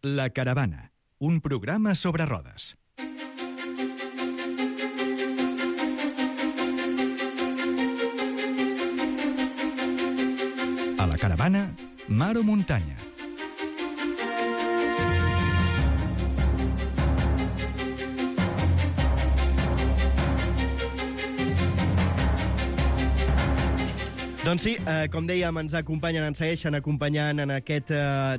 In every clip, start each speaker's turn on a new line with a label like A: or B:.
A: La Caravana, un programa sobre rodes. A la Caravana, mar o muntanya.
B: Doncs sí, com dèiem, ens segueixen acompanyant en aquest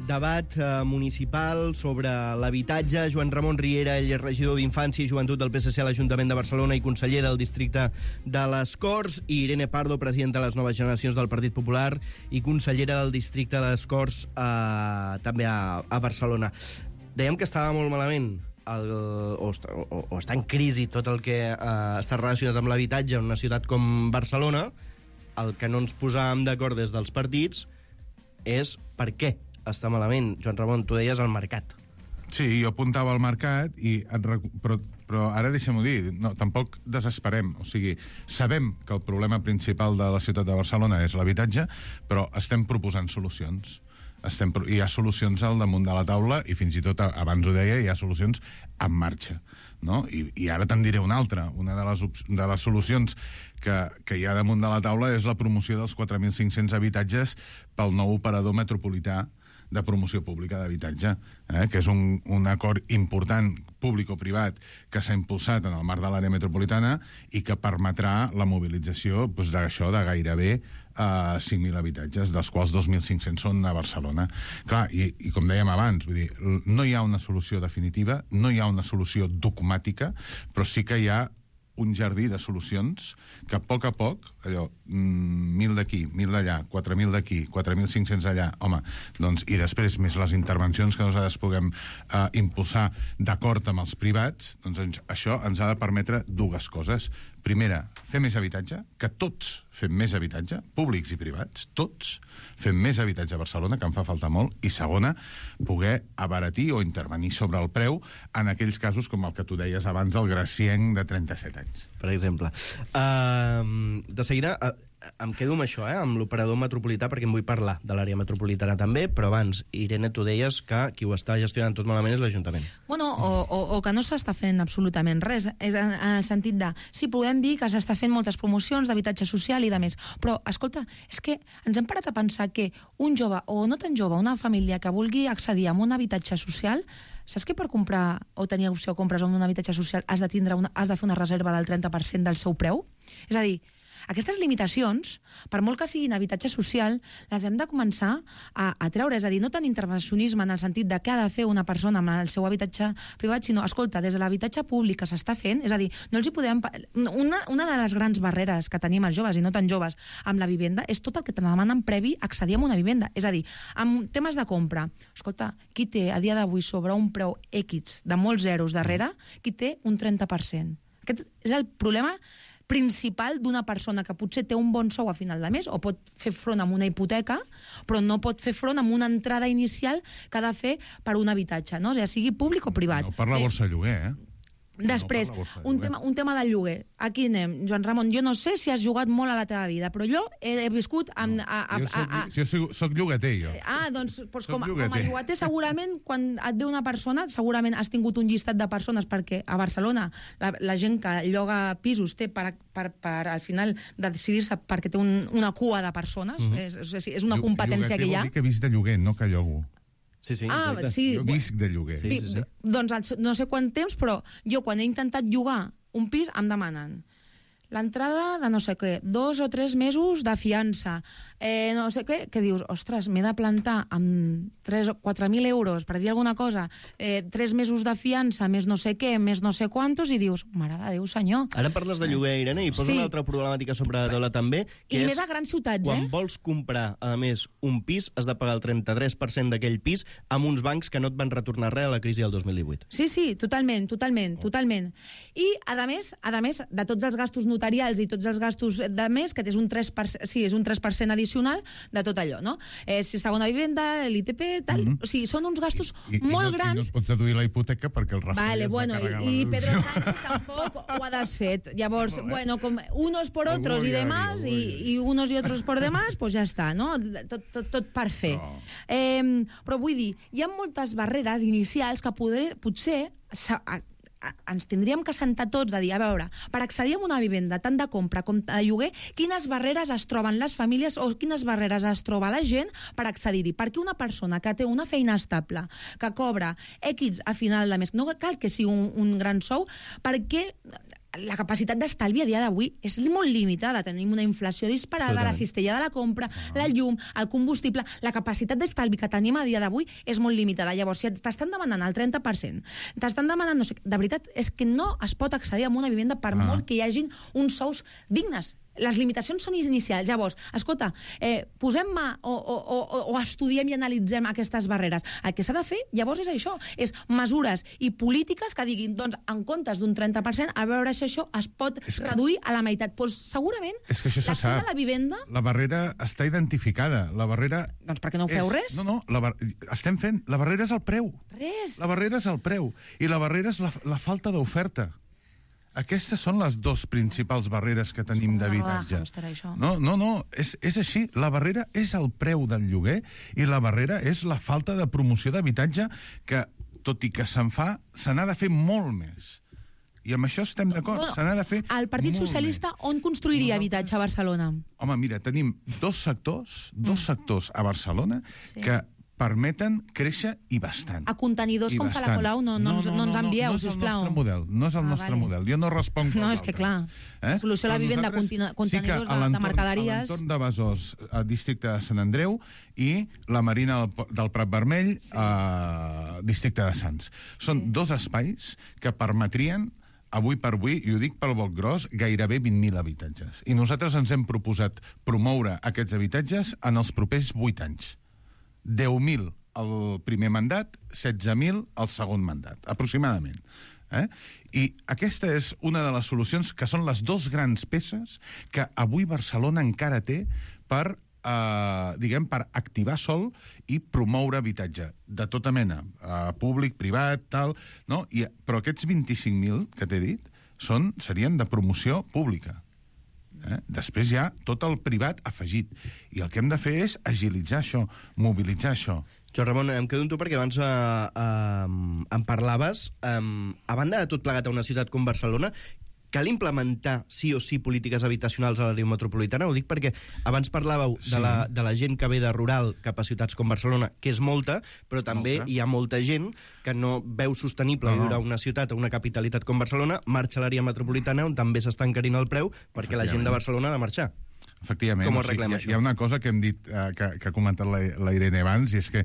B: debat municipal sobre l'habitatge. Joan Ramon Riera, ell és regidor d'Infància i Joventut del PSC a l'Ajuntament de Barcelona i conseller del districte de les Corts, i Irene Pardo, presidenta de les Noves Generacions del Partit Popular i consellera del districte de les Corts també a Barcelona. Dèiem que estava molt malament o està en crisi tot el que està relacionat amb l'habitatge en una ciutat com Barcelona. El que no ens posàvem d'acord des dels partits és per què està malament. Joan Ramon, tu deies el mercat.
C: Sí, jo apuntava al mercat, però ara deixem-ho dir, no, tampoc desesperem. O sigui, sabem que el problema principal de la ciutat de Barcelona és l'habitatge, però estem proposant solucions. Hi ha solucions al damunt de la taula i fins i tot, abans ho deia, hi ha solucions en marxa, no? I ara te'n diré una altra. Una de les solucions que hi ha damunt de la taula és la promoció dels 4.500 habitatges pel nou operador metropolità de promoció pública d'habitatge, que és un acord important públic-privat que s'ha impulsat en el marc de l'àrea metropolitana i que permetrà la mobilització d'això de gairebé 5.000 habitatges, dels quals 2.500 són a Barcelona. Clar, i com dèiem abans, vull dir, no hi ha una solució definitiva, no hi ha una solució dogmàtica, però sí que hi ha un jardí de solucions que a poc, allò, 1.000 d'aquí, 1.000 d'allà, 4.000 d'aquí, 4.500 allà, home, doncs, i després més les intervencions que nosaltres puguem impulsar d'acord amb els privats, doncs això ens ha de permetre dues coses. Primera, fer més habitatge, que tots fem més habitatge, públics i privats, tots fem més habitatge a Barcelona, que en fa falta molt, i segona, poder abaratir o intervenir sobre el preu en aquells casos com el que tu deies abans del gracienc de 37 anys.
B: Per exemple. De seguida, em quedo amb això, amb l'operador metropolità, perquè em vull parlar de l'àrea metropolitana també, però abans, Irene, tu deies que qui ho està gestionant tot malament és l'Ajuntament.
D: Bueno, o que no s'està fent absolutament res, és en el sentit de, sí, podem dir que s'està fent moltes promocions d'habitatge social i de més, però, escolta, és que ens hem parat a pensar que un jove, o no tan jove, una família que vulgui accedir a un habitatge social, saps que per comprar o tenir opció de compres en un habitatge social has de fer una reserva del 30% del seu preu? És a dir, aquestes limitacions, per molt que siguin habitatge social, les hem de començar a treure. És a dir, no tant intervencionisme en el sentit de què ha de fer una persona amb el seu habitatge privat, sinó, escolta, des de l'habitatge públic que s'està fent, és a dir, no els hi podem... Una de les grans barreres que tenim els joves, i no tan joves, amb la vivenda, és tot el que te demanen previ a accedir a una vivenda. És a dir, amb temes de compra, escolta, qui té a dia d'avui sobre un preu X de molts zeros darrere, qui té un 30%. Aquest és el problema principal d'una persona que potser té un bon sou a final de mes o pot fer front amb una hipoteca, però no pot fer front amb una entrada inicial que ha de fer per un habitatge, no? O sigui, sigui públic o privat.
C: No, per la borsa de lloguer,
D: Després, un tema del lloguer. Aquí anem. Joan Ramon, jo no sé si has jugat molt a la teva vida, però jo he viscut amb...
C: Jo soc llogater, jo.
D: Doncs com a llogater, segurament, quan et ve una persona, segurament has tingut un llistat de persones, perquè a Barcelona la gent que lloga pisos té per al final de decidir-se perquè té una cua de persones. És una competència que hi ha.
C: Llogater vol dir que visc de lloguer, no que llogo.
B: Sí,
D: sí.
C: Jo visc de lloguer.
B: Sí.
D: Doncs no sé quant temps, però jo quan he intentat llogar un pis em demanen l'entrada de no sé què, 2 o 3 mesos de fiança, no sé què, que dius, ostres, m'he de plantar amb 3 o 4.000 euros, per dir alguna cosa, 3 mesos de fiança, més no sé què, més no sé quantos, i dius, mare de Déu, senyor.
B: Ara parles de lloguer, Irene, i posa una altra problemàtica sobre Dola també, que
D: i més a grans ciutats,
B: quan vols comprar, a més, un pis, has de pagar el 33% d'aquell pis amb uns bancs que no et van retornar res a la crisi del 2018.
D: Sí, totalment. I, a més, de tots els gastos notarials i tots els gastos de mes, que és un 3%, sí, és un 3% addicional de tot allò, no? Segona vivenda, l'ITP, tal... O sigui, són uns gastos molt grans.
C: I no et pots deduir la hipoteca perquè el Rajoy es va carregar la
D: i
C: deducció.
D: Pedro Sánchez tampoc ho ha desfet. Llavors, bueno, com unos por otros y demás, y unos y otros por demás, pues ja està, no? Tot per fer. Però vull dir, hi ha moltes barreres inicials que potser ens tindríem que sentar tots a dir, a veure, per accedir a una vivenda tant de compra com de lloguer, quines barreres es troben les famílies o quines barreres es troba la gent per accedir-hi? Perquè una persona que té una feina estable, que cobra X a final de mes, no cal que sigui un gran sou, perquè la capacitat d'estalvi a dia d'avui és molt limitada. Tenim una inflació disparada, la cistella de la compra, la llum, el combustible... La capacitat d'estalvi que tenim a dia d'avui és molt limitada. Llavors, si t'estan demanant el 30%, t'estan demanant... No sé, de veritat, és que no es pot accedir a una vivenda per molt que hi hagin uns sous dignes. Les limitacions són inicials. Llavors, escolta, posem mà o estudiem i analitzem aquestes barreres. El que s'ha de fer, llavors, és això. És mesures i polítiques que diguin, doncs, en comptes d'un 30%, a veure si això es pot reduir a la meitat. Doncs segurament, l'accés a la vivenda...
C: La barrera està identificada. La barrera...
D: Doncs per què no ho feu res?
C: No, estem fent... La barrera és el preu.
D: Res.
C: La barrera és el preu. I la barrera és la falta d'oferta. Aquestes són les dues principals barreres que tenim d'habitatge. No, és així. La barrera és el preu del lloguer i la barrera és la falta de promoció d'habitatge que, tot i que se'n fa, se n'ha de fer molt més. I amb això estem d'acord. Se n'ha de fer
D: el Partit Socialista on construiria habitatge a Barcelona?
C: Home, mira, tenim dos sectors a Barcelona que permeten créixer i bastant.
D: A contenidors com fa la Colau no ens envieu, sisplau.
C: No és el nostre model. Jo no responc pels altres.
D: No, és que clar, solució a la vivenda, contenidors de mercaderies...
C: Sí que a l'entorn de Besòs, al districte de Sant Andreu, i la Marina del Prat Vermell, districte de Sants. Són dos espais que permetrien avui per avui, i ho dic pel boc gros, gairebé 20.000 habitatges. I nosaltres ens hem proposat promoure aquests habitatges en els propers 8 anys. 10.000 el primer mandat, 16.000 el segon mandat, aproximadament. I aquesta és una de les solucions que són les dos grans peces que avui Barcelona encara té per activar sol i promoure habitatge de tota mena, públic, privat, tal, no? Però aquests 25.000 que t'he dit serien de promoció pública. Després hi ha tot el privat afegit. I el que hem de fer és agilitzar això, mobilitzar això.
B: Joan Ramon, em quedo amb tu perquè abans em parlaves. A banda de tot plegat a una ciutat com Barcelona, cal implementar sí o sí polítiques habitacionals a l'àrea metropolitana? Ho dic perquè abans parlàveu de la gent que ve de rural cap a ciutats com Barcelona, que és molta, però també hi ha molta gent que no veu sostenible viure a una ciutat, a una capitalitat com Barcelona, marxa a l'àrea metropolitana on també s'està encarint el preu perquè la gent de Barcelona ha de marxar.
C: Efectivament.
B: Com ho arreglem, això?
C: Hi ha una cosa que hem dit, que ha comentat la Irene abans, i és que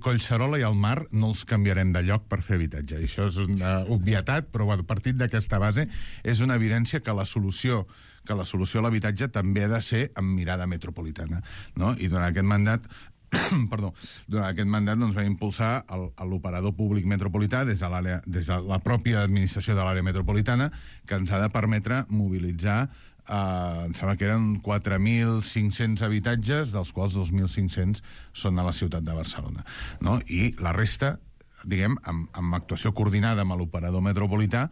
C: Collserola i el mar no els canviarem de lloc per fer habitatge. I això és una obvietat, però partit d'aquesta base és una evidència que la solució a l'habitatge també ha de ser amb mirada metropolitana. No? I durant aquest mandat doncs, va impulsar l'operador públic metropolità des de la pròpia administració de l'àrea metropolitana, que ens ha de permetre mobilitzar em sembla que eren 4.500 habitatges, dels quals 2.500 són a la ciutat de Barcelona. No? I la resta, diguem, amb actuació coordinada amb l'operador metropolità,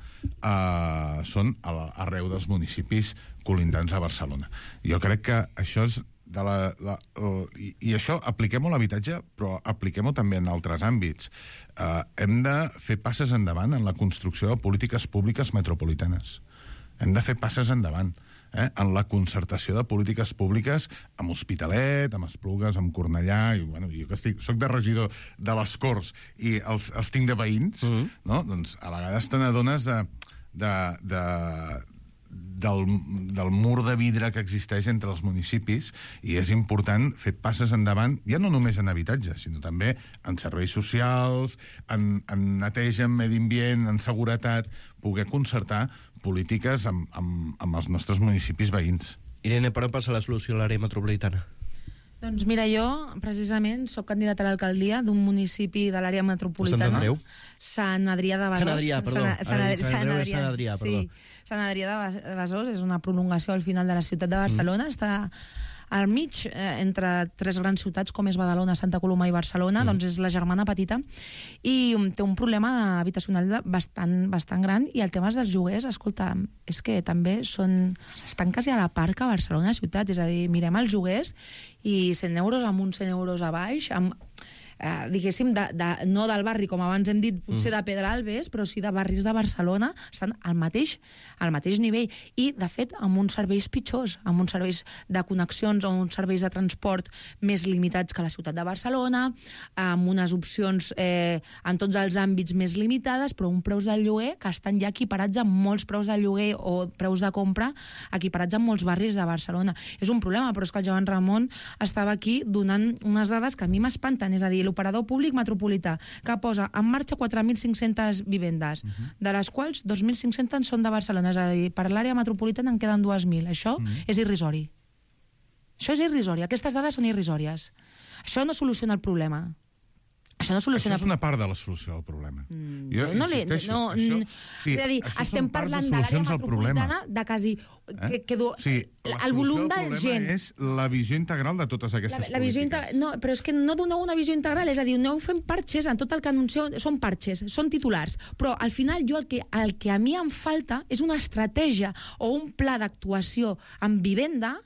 C: són arreu dels municipis colindants a Barcelona. Jo crec que això és i això apliquem-ho a l'habitatge, però apliquem-ho també en altres àmbits. Hem de fer passes endavant en la construcció de polítiques públiques metropolitanes. Hem de fer passes endavant en la concertació de polítiques públiques amb Hospitalet, amb Esplugues, amb Cornellà, i jo que soc de regidor de les Corts i els tinc de veïns, no? Doncs a vegades te n'adones del mur de vidre que existeix entre els municipis, i és important fer passes endavant, ja no només en habitatge, sinó també en serveis socials, en neteja, en medi ambient, en seguretat, poder concertar polítiques amb els nostres municipis veïns.
B: Irene, per on passa la solució a l'àrea metropolitana?
D: Doncs mira, jo precisament sóc candidata a l'alcaldia d'un municipi de l'àrea metropolitana. Sant Adrià de Besòs.
B: Sant Adrià, perdó.
D: Sant Adrià,
B: perdó.
D: Sant Adrià de Besòs és una prolongació al final de la ciutat de Barcelona. Està al mig, entre tres grans ciutats com és Badalona, Santa Coloma i Barcelona, doncs és la germana petita, i té un problema habitacional bastant gran, i el tema dels lloguers, escolta, és que també estan quasi a la par que Barcelona ciutat, és a dir, mirem els lloguers i 100 euros amunt, 100 euros a baix, diguéssim, no del barri, com abans hem dit, potser de Pedralbes, però sí de barris de Barcelona, estan al mateix nivell. I, de fet, amb uns serveis pitjors, amb uns serveis de connexions o uns serveis de transport més limitats que la ciutat de Barcelona, amb unes opcions en tots els àmbits més limitades, però un preus del lloguer que estan ja equiparats amb molts preus de lloguer o preus de compra equiparats amb molts barris de Barcelona. És un problema, però és que el Joan Ramon estava aquí donant unes dades que a mi m'espanten, és a dir, l'operador públic metropolità, que posa en marxa 4.500 vivendes, de les quals 2.500 són de Barcelona, és a dir, per l'àrea metropolitana en queden 2.000. Això és irrisori. Això és irrisori. Aquestes dades són irrisòries. Això no soluciona el problema. Això
C: és una part de la solució del problema. Jo insisteixo.
D: És a dir, estem parlant de l'àrea metropolitana de quasi... El volum de gent...
C: El problema és la visió integral de totes aquestes polítiques.
D: No, però és que no doneu una visió integral, és a dir, aneu fent parxes, en tot el que anuncieu són parxes, són titulars, però al final jo el que a mi em falta és una estratègia o un pla d'actuació en vivenda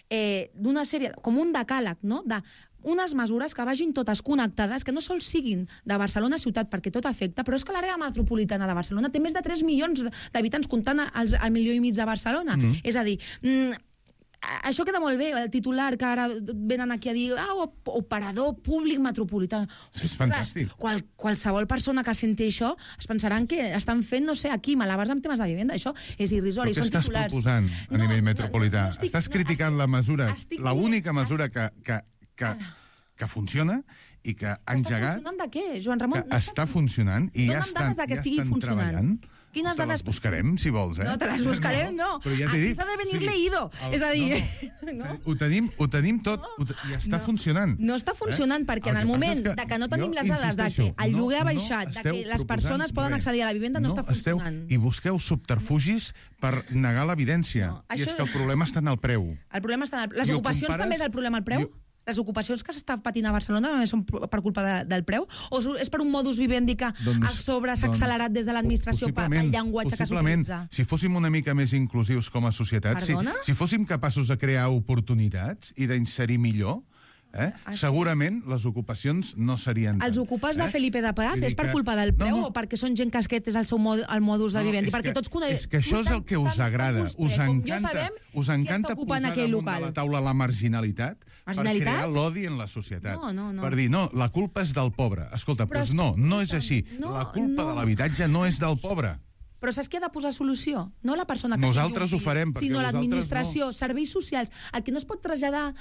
D: d'una sèrie, com un decàleg, no?, de unes mesures que vagin totes connectades, que no sols siguin de Barcelona ciutat, perquè tot afecta, però és que l'àrea metropolitana de Barcelona té més de 3 milions d'habitants comptant al 1,5 milió de Barcelona. És a dir, això queda molt bé, el titular que ara venen aquí a dir operador públic metropolità.
C: És fantàstic.
D: Qualsevol persona que senti això es pensaran que estan fent, no sé, aquí malabars amb temes de vivenda. Això és irrisori, són titulars.
C: Però què estàs proposant a nivell metropolità? Estàs criticant la mesura, l'única mesura que funciona i que ha engegat...
D: Està funcionant de què, Joan Ramon?
C: Que està funcionant i ja estan treballant.
D: Quines dades...
C: Te les buscarem, si vols,
D: No, te les buscarem, no. Aquí s'ha de venir leído. És a dir...
C: Ho tenim tot i està funcionant.
D: No està funcionant perquè en el moment que no tenim les dades de que el lloguer ha baixat, de que les persones poden accedir a la vivenda, no està funcionant.
C: I busqueu subterfugis per negar l'evidència. I és que el problema està en el preu.
D: El problema està en el preu. Les ocupacions també és el problema al preu? Les ocupacions que s'està patint a Barcelona només són per culpa del preu? O és per un modus vivendi que a sobre s'ha accelerat des de l'administració pel llenguatge que s'utilitza?
C: Si fóssim una mica més inclusius com a societat, si fóssim capaços de crear oportunitats i d'inserir millor, segurament les ocupacions no serien tant.
D: Els ocupats de Felipe de Paz és per culpa del preu o perquè són gent que aquest és el seu modus de vivendi?
C: És que això és el que us agrada. Us encanta posar damunt de la taula la marginalitat per crear l'odi en la societat. Per dir, no, la culpa és del pobre. Escolta, doncs no és així. La culpa de l'habitatge no és del pobre.
D: Però saps qui ha de posar solució? No la persona que
C: nosaltres ho farem,
D: sinó l'administració, serveis socials. El que no es pot traslladar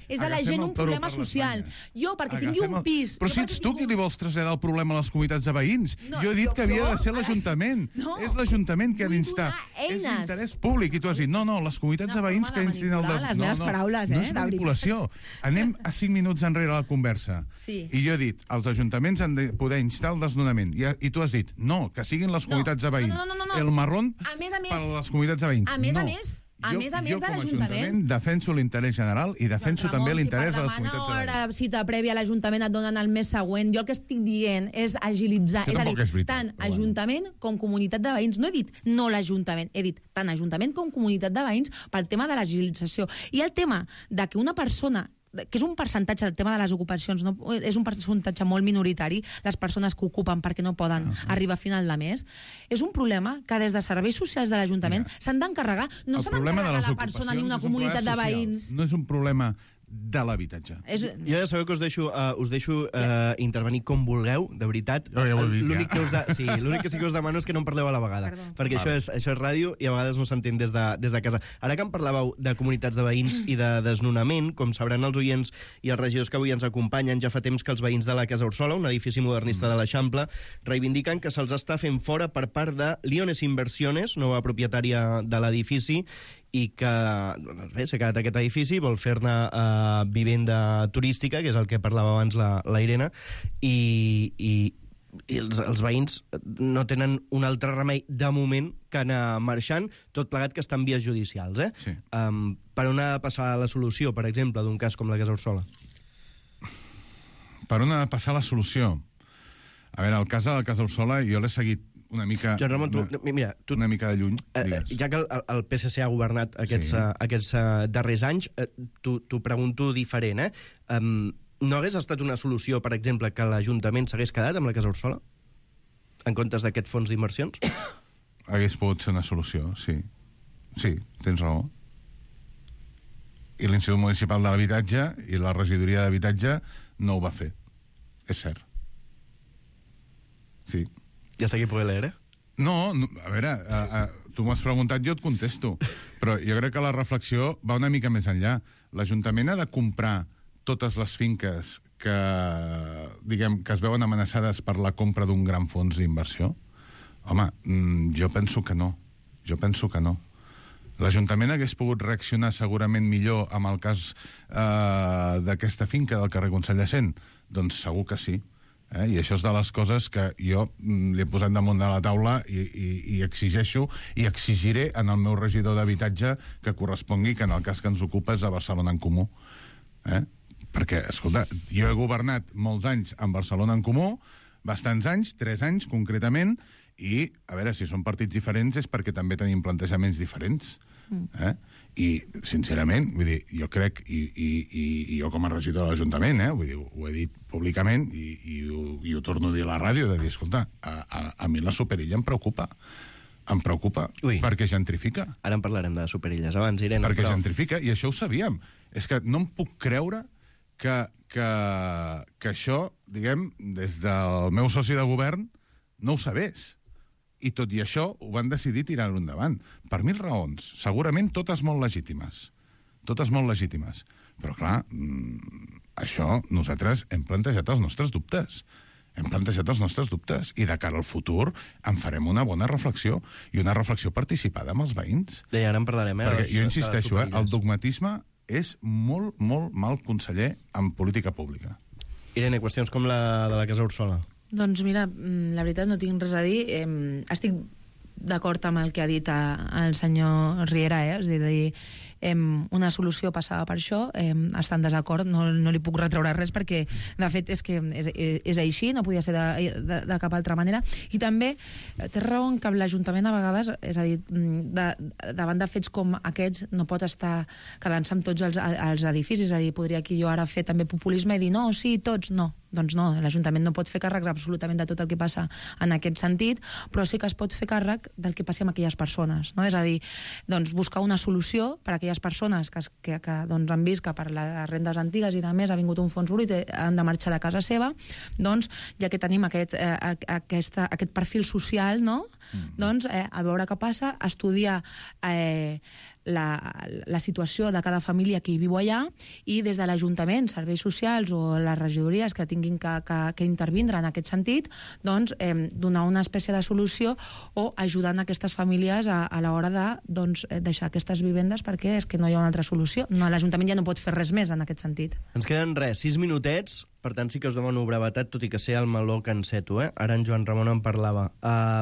D: és a la gent un problema social. Jo, perquè tingui un pis...
C: Però si ets tu qui li vols traslladar el problema a les comunitats de veïns. Jo he dit que havia de ser l'Ajuntament. És l'Ajuntament que ha d'instar. És l'interès públic. I tu has dit, no, les comunitats de veïns que instin el...
D: Les meves paraules,
C: no és manipulació. Anem a 5 minuts enrere a la conversa. I jo he dit, els ajuntaments han de poder instar el desnonament. I tu has dit, no, que siguin les comunitats de veïns. El marrón per a les comunitats de veïns.
D: A més a més de l'Ajuntament
C: defenso l'interès general i defenso també l'interès de les comunitats de veïns.
D: Si per demanar hora cita prèvia a l'Ajuntament et donen el mes següent, jo el que estic dient és agilitzar. És a dir, tant Ajuntament com comunitat de veïns. No he dit no l'Ajuntament, he dit tant Ajuntament com comunitat de veïns pel tema de l'agilització. I el tema de que una persona que és un percentatge del tema de les ocupacions, no? És un percentatge molt minoritari, les persones que ocupen perquè no poden arribar a final de mes, és un problema que des de serveis socials de l'Ajuntament s'han d'encarregar. No s'ha d'encarregar la persona ni una comunitat de veïns.
C: No és un problema de l'habitatge.
B: Jo ja sabeu que us deixo intervenir com vulgueu, de veritat. L'únic que sí que us demano és que no em parleu a la vegada. Perquè això és ràdio i a vegades no s'entén des de casa. Ara que em parlàveu de comunitats de veïns i de desnonament, com sabran els oients i els regidors que avui ens acompanyen, ja fa temps que els veïns de la Casa Orsola, un edifici modernista de l'Eixample, reivindiquen que se'ls està fent fora per part de Liones Inversiones, nova propietària de l'edifici, i que doncs bé, s'ha quedat aquest edifici, vol fer-ne vivenda turística, que és el que parlava abans la Irene, i els veïns no tenen un altre remei de moment que anar marxant, tot plegat que està en vies judicials.
C: Sí.
B: Per on ha de passar la solució, per exemple, d'un cas com la Casa Orsola?
C: Per on ha de passar la solució? A veure, el cas de la Casa Orsola jo l'he seguit una mica...
B: Joan Ramon,
C: una mica de lluny, digues.
B: Ja que el PSC ha governat aquests darrers anys, t'ho pregunto diferent, no hagués estat una solució, per exemple, que l'Ajuntament s'hagués quedat amb la Casa Orsola? En comptes d'aquest fons d'inversions?
C: Hagués pogut ser una solució, sí. Sí, tens raó. I l'Institut Municipal de l'Habitatge i la Regidoria d'Habitatge no ho va fer. És cert. Sí.
B: I hasta aquí puede leer,
C: No, a veure, tu m'has preguntat, jo et contesto. Però jo crec que la reflexió va una mica més enllà. L'Ajuntament ha de comprar totes les finques que es veuen amenaçades per la compra d'un gran fons d'inversió? Home, jo penso que no. L'Ajuntament hagués pogut reaccionar segurament millor amb el cas d'aquesta finca del carrer Consell de Cent? Doncs segur que sí. I això és de les coses que jo li he posat damunt de la taula i exigeixo i exigiré en el meu regidor d'habitatge que correspongui, que en el cas que ens ocupa és a Barcelona en Comú. Perquè, escolta, jo he governat molts anys en Barcelona en Comú, bastants anys, 3 anys concretament, i, a veure, si són partits diferents és perquè també tenim plantejaments diferents. I, sincerament, vull dir, jo crec, i jo com a regidor de l'Ajuntament, vull dir, ho he dit públicament i ho torno a dir a la ràdio, de dir, escolta, a mi la Superilla em preocupa. Em preocupa, perquè gentrifica.
B: Ara en parlarem de Superilles abans, Irene.
C: Perquè gentrifica, i això ho sabíem. És que no em puc creure que això, diguem, des del meu soci de govern, no ho sabés. I tot i això ho van decidir tirar-ho endavant. Per 1000 raons. Segurament totes molt legítimes. Però, clar, això nosaltres hem plantejat els nostres dubtes. I de cara al futur en farem una bona reflexió i una reflexió participada amb els veïns.
B: I ara en parlarem,
C: Perquè jo insisteixo, el dogmatisme és molt, molt mal conseller en política pública.
B: Irene, qüestions com la de la Casa Orsola.
D: Doncs mira, la veritat no tinc res a dir. Estic d'acord amb el que ha dit el senyor Riera, és a dir, una solució passava per això, està en desacord, no li puc retreure res perquè, de fet, és que és així, no podia ser de cap altra manera. I també té raó que l'Ajuntament a vegades, és a dir, davant de fets com aquests, no pot estar quedant-se amb tots els edificis, és a dir, podria aquí jo ara fer també populisme i dir, no, sí, tots, no. Doncs no, l'Ajuntament no pot fer càrrec absolutament de tot el que passa en aquest sentit, però sí que es pot fer càrrec del que passi amb aquelles persones, no? És a dir, doncs, buscar una solució per a aquelles persones que doncs, han vist que per les rendes antigues i de més ha vingut un fons buit i han de marxar de casa seva, doncs, ja que tenim aquest perfil social, no? Doncs, a veure què passa, estudiar la situació de cada família que hi viu allà i des de l'Ajuntament, serveis socials o les regidories que tinguin que intervindre en aquest sentit, doncs donar una espècie de solució o ajudant aquestes famílies a l'hora de deixar aquestes vivendes perquè és que no hi ha una altra solució. L'Ajuntament ja no pot fer res més en aquest sentit.
B: Ens queden 6 minutets, per tant sí que us demano brevetat, tot i que sé el meló que enceto. Ara en Joan Ramon en parlava.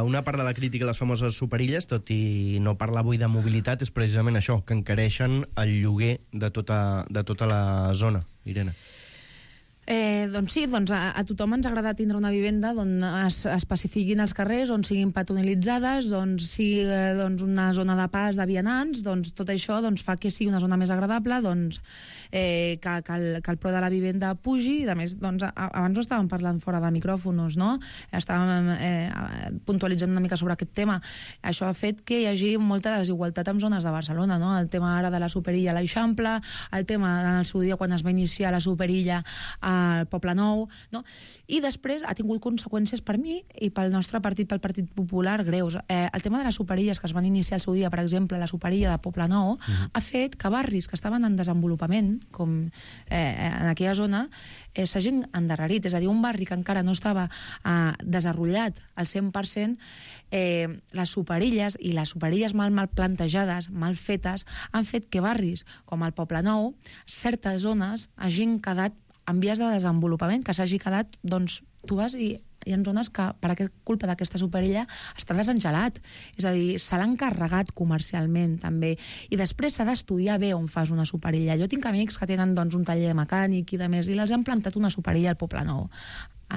B: Una part de la crítica a les famoses superilles, tot i no parlar avui de mobilitat, és precisament això, que encareixen el lloguer de tota la zona. Irene.
D: Doncs sí, a tothom ens agrada tindre una vivenda on es pacifiquin els carrers, on siguin patronilitzades, on sigui una zona de pas de vianants, tot això fa que sigui una zona més agradable, que el preu de la vivenda pugi, i a més, abans ho estàvem parlant fora de micròfons, no? Estàvem puntualitzant una mica sobre aquest tema. Això ha fet que hi hagi molta desigualtat en zones de Barcelona, no? El tema ara de la Superilla a l'Eixample, el tema en el seu dia quan es va iniciar la Superilla a al Poble Nou, no? I després ha tingut conseqüències per mi i pel nostre partit, pel Partit Popular, greus. El tema de les superilles que es van iniciar al seu dia, per exemple, la superilla de Poble Nou, ha fet que barris que estaven en desenvolupament, com en aquella zona, s'hagin endarrerit. És a dir, un barri que encara no estava desenvolupat al 100%, les superilles i les superilles mal plantejades, mal fetes, han fet que barris com el Poble Nou, certes zones hagin quedat en vies de desenvolupament, que s'hagi quedat, doncs, tu vas i hi ha zones que, per culpa d'aquesta superilla, està desengelat. És a dir, se l'han carregat comercialment, també. I després s'ha d'estudiar bé on fas una superilla. Jo tinc amics que tenen, doncs, un taller mecànic i de més, i els han plantat una superilla al Poble Nou.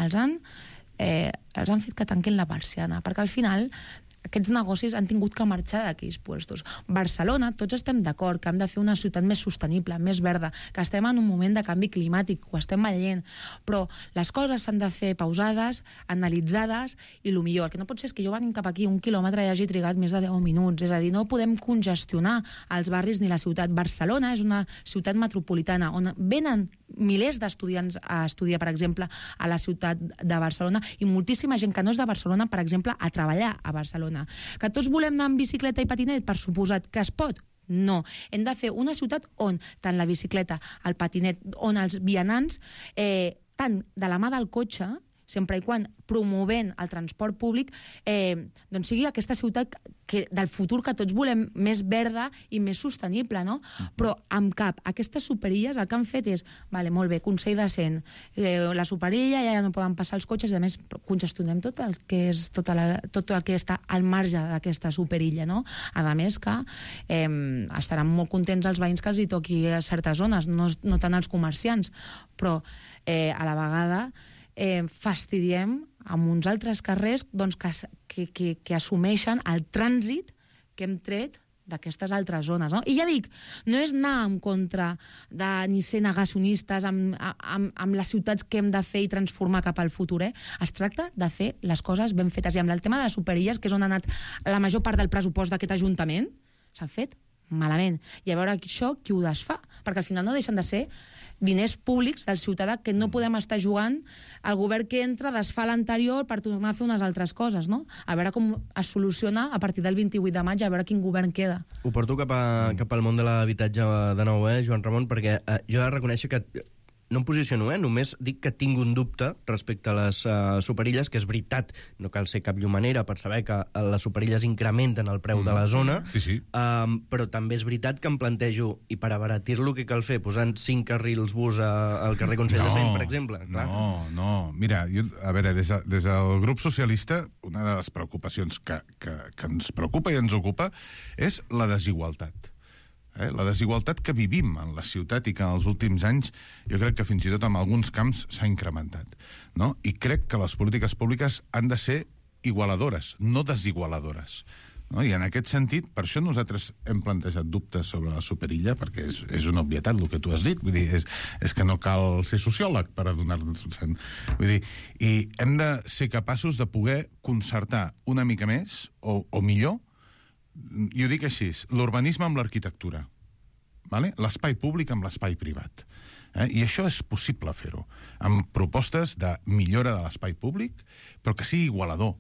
D: Els han fet que tanquin la persiana, perquè al final aquests negocis han tingut que marxar d'aquells puestos. Barcelona, tots estem d'acord que hem de fer una ciutat més sostenible, més verda, que estem en un moment de canvi climàtic, ho estem veient, però les coses s'han de fer pausades, analitzades, i el millor. El que no pot ser és que jo venint cap aquí 1 quilòmetre i hagi trigat més de 10 minuts. És a dir, no podem congestionar els barris ni la ciutat. Barcelona és una ciutat metropolitana on venen milers d'estudiants a estudiar, per exemple, a la ciutat de Barcelona, i moltíssima gent que no és de Barcelona, per exemple, a treballar a Barcelona. Que tots volem anar amb bicicleta i patinet? Per suposat que es pot. No. Hem de fer una ciutat on tant la bicicleta, el patinet, on els vianants, tant de la mà del cotxe, sempre i quan promovent el transport públic, doncs sigui aquesta ciutat del futur que tots volem més verda i més sostenible, no? Però amb cap, aquestes superilles el que han fet és, vale, molt bé, consell decent, la superilla ja no poden passar els cotxes, i a més congestionem tot el que és tot el que està al marge d'aquesta superilla, no? A més que estaran molt contents els veïns que els hi toqui a certes zones, no tant els comerciants, però a la vegada fastidiem amb uns altres carrers, doncs, que assumeixen el trànsit que hem tret d'aquestes altres zones, no? I ja dic, no és anar en contra de ni ser negacionistes amb les ciutats que hem de fer i transformar cap al futur, Es tracta de fer les coses ben fetes. I amb el tema de les superilles, que és on ha anat la major part del pressupost d'aquest Ajuntament, s'han fet malament. I a veure això qui ho desfà, perquè al final no deixen de ser diners públics del ciutadà que no podem estar jugant. El govern que entra desfà l'anterior per tornar a fer unes altres coses, no? A veure com es soluciona a partir del 28 de maig, a veure quin govern queda.
B: Ho porto cap al món de l'habitatge de nou, Joan Ramon, perquè jo he de reconèixer que no em posiciono, només dic que tinc un dubte respecte a les superilles, que és veritat, no cal ser cap llumanera per saber que les superilles incrementen el preu de la zona,
C: sí.
B: Però també és veritat que em plantejo, i per abaratir-lo, què cal fer? Posant 5 carrils bus al carrer Consell de Cent, per exemple? Clar.
C: No. Mira, a veure, des del grup socialista, una de les preocupacions que ens preocupa i ens ocupa és la desigualtat. La desigualtat que vivim en la ciutat i que en els últims anys jo crec que fins i tot en alguns camps s'ha incrementat, no? I crec que les polítiques públiques han de ser igualadores, no desigualadores, no? I en aquest sentit, per això nosaltres hem plantejat dubtes sobre la superilla, perquè és una obvietat el que tu has dit, vull dir, és que no cal ser sociòleg per adonar-nos. Vull dir, i hem de ser capaços de poder concertar una mica més, o millor, i ho dic així, l'urbanisme amb l'arquitectura, l'espai públic amb l'espai privat. I això és possible fer-ho, amb propostes de millora de l'espai públic, però que sigui igualador.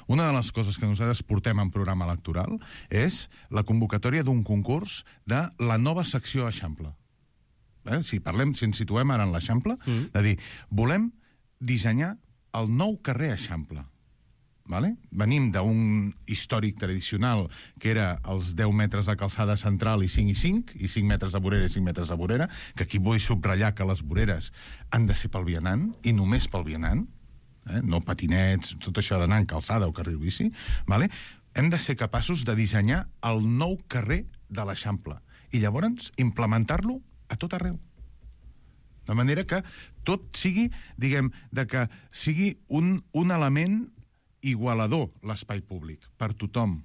C: Una de les coses que nosaltres portem en programa electoral és la convocatòria d'un concurs de la nova secció Eixample. Si ens situem ara en l'Eixample, de dir, volem dissenyar el nou carrer Eixample. Venim d'un històric tradicional que era els 10 metres de calçada central i 5 i 5, i 5 metres de vorera i 5 metres de vorera, que aquí vull subratllar que les voreres han de ser pel vianant, i només pel vianant, no patinets, tot això d'anar en calçada o carril bici. Hem de ser capaços de dissenyar el nou carrer de l'Eixample i llavors implementar-lo a tot arreu. De manera que tot sigui, diguem, que sigui un element igualador, l'espai públic, per tothom.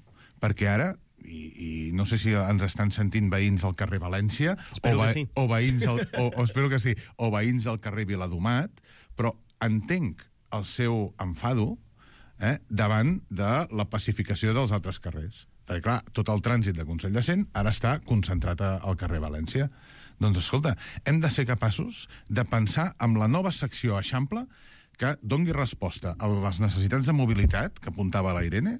C: Perquè ara, i no sé si ens estan sentint veïns al carrer València, o veïns espero que sí, o veïns al carrer Viladomat, però entenc el seu enfado davant de la pacificació dels altres carrers. Perquè, clar, tot el trànsit de Consell de Cent ara està concentrat al carrer València. Doncs, escolta, hem de ser capaços de pensar en la nova secció Eixample que dongui resposta a les necessitats de mobilitat, que apuntava la Irene,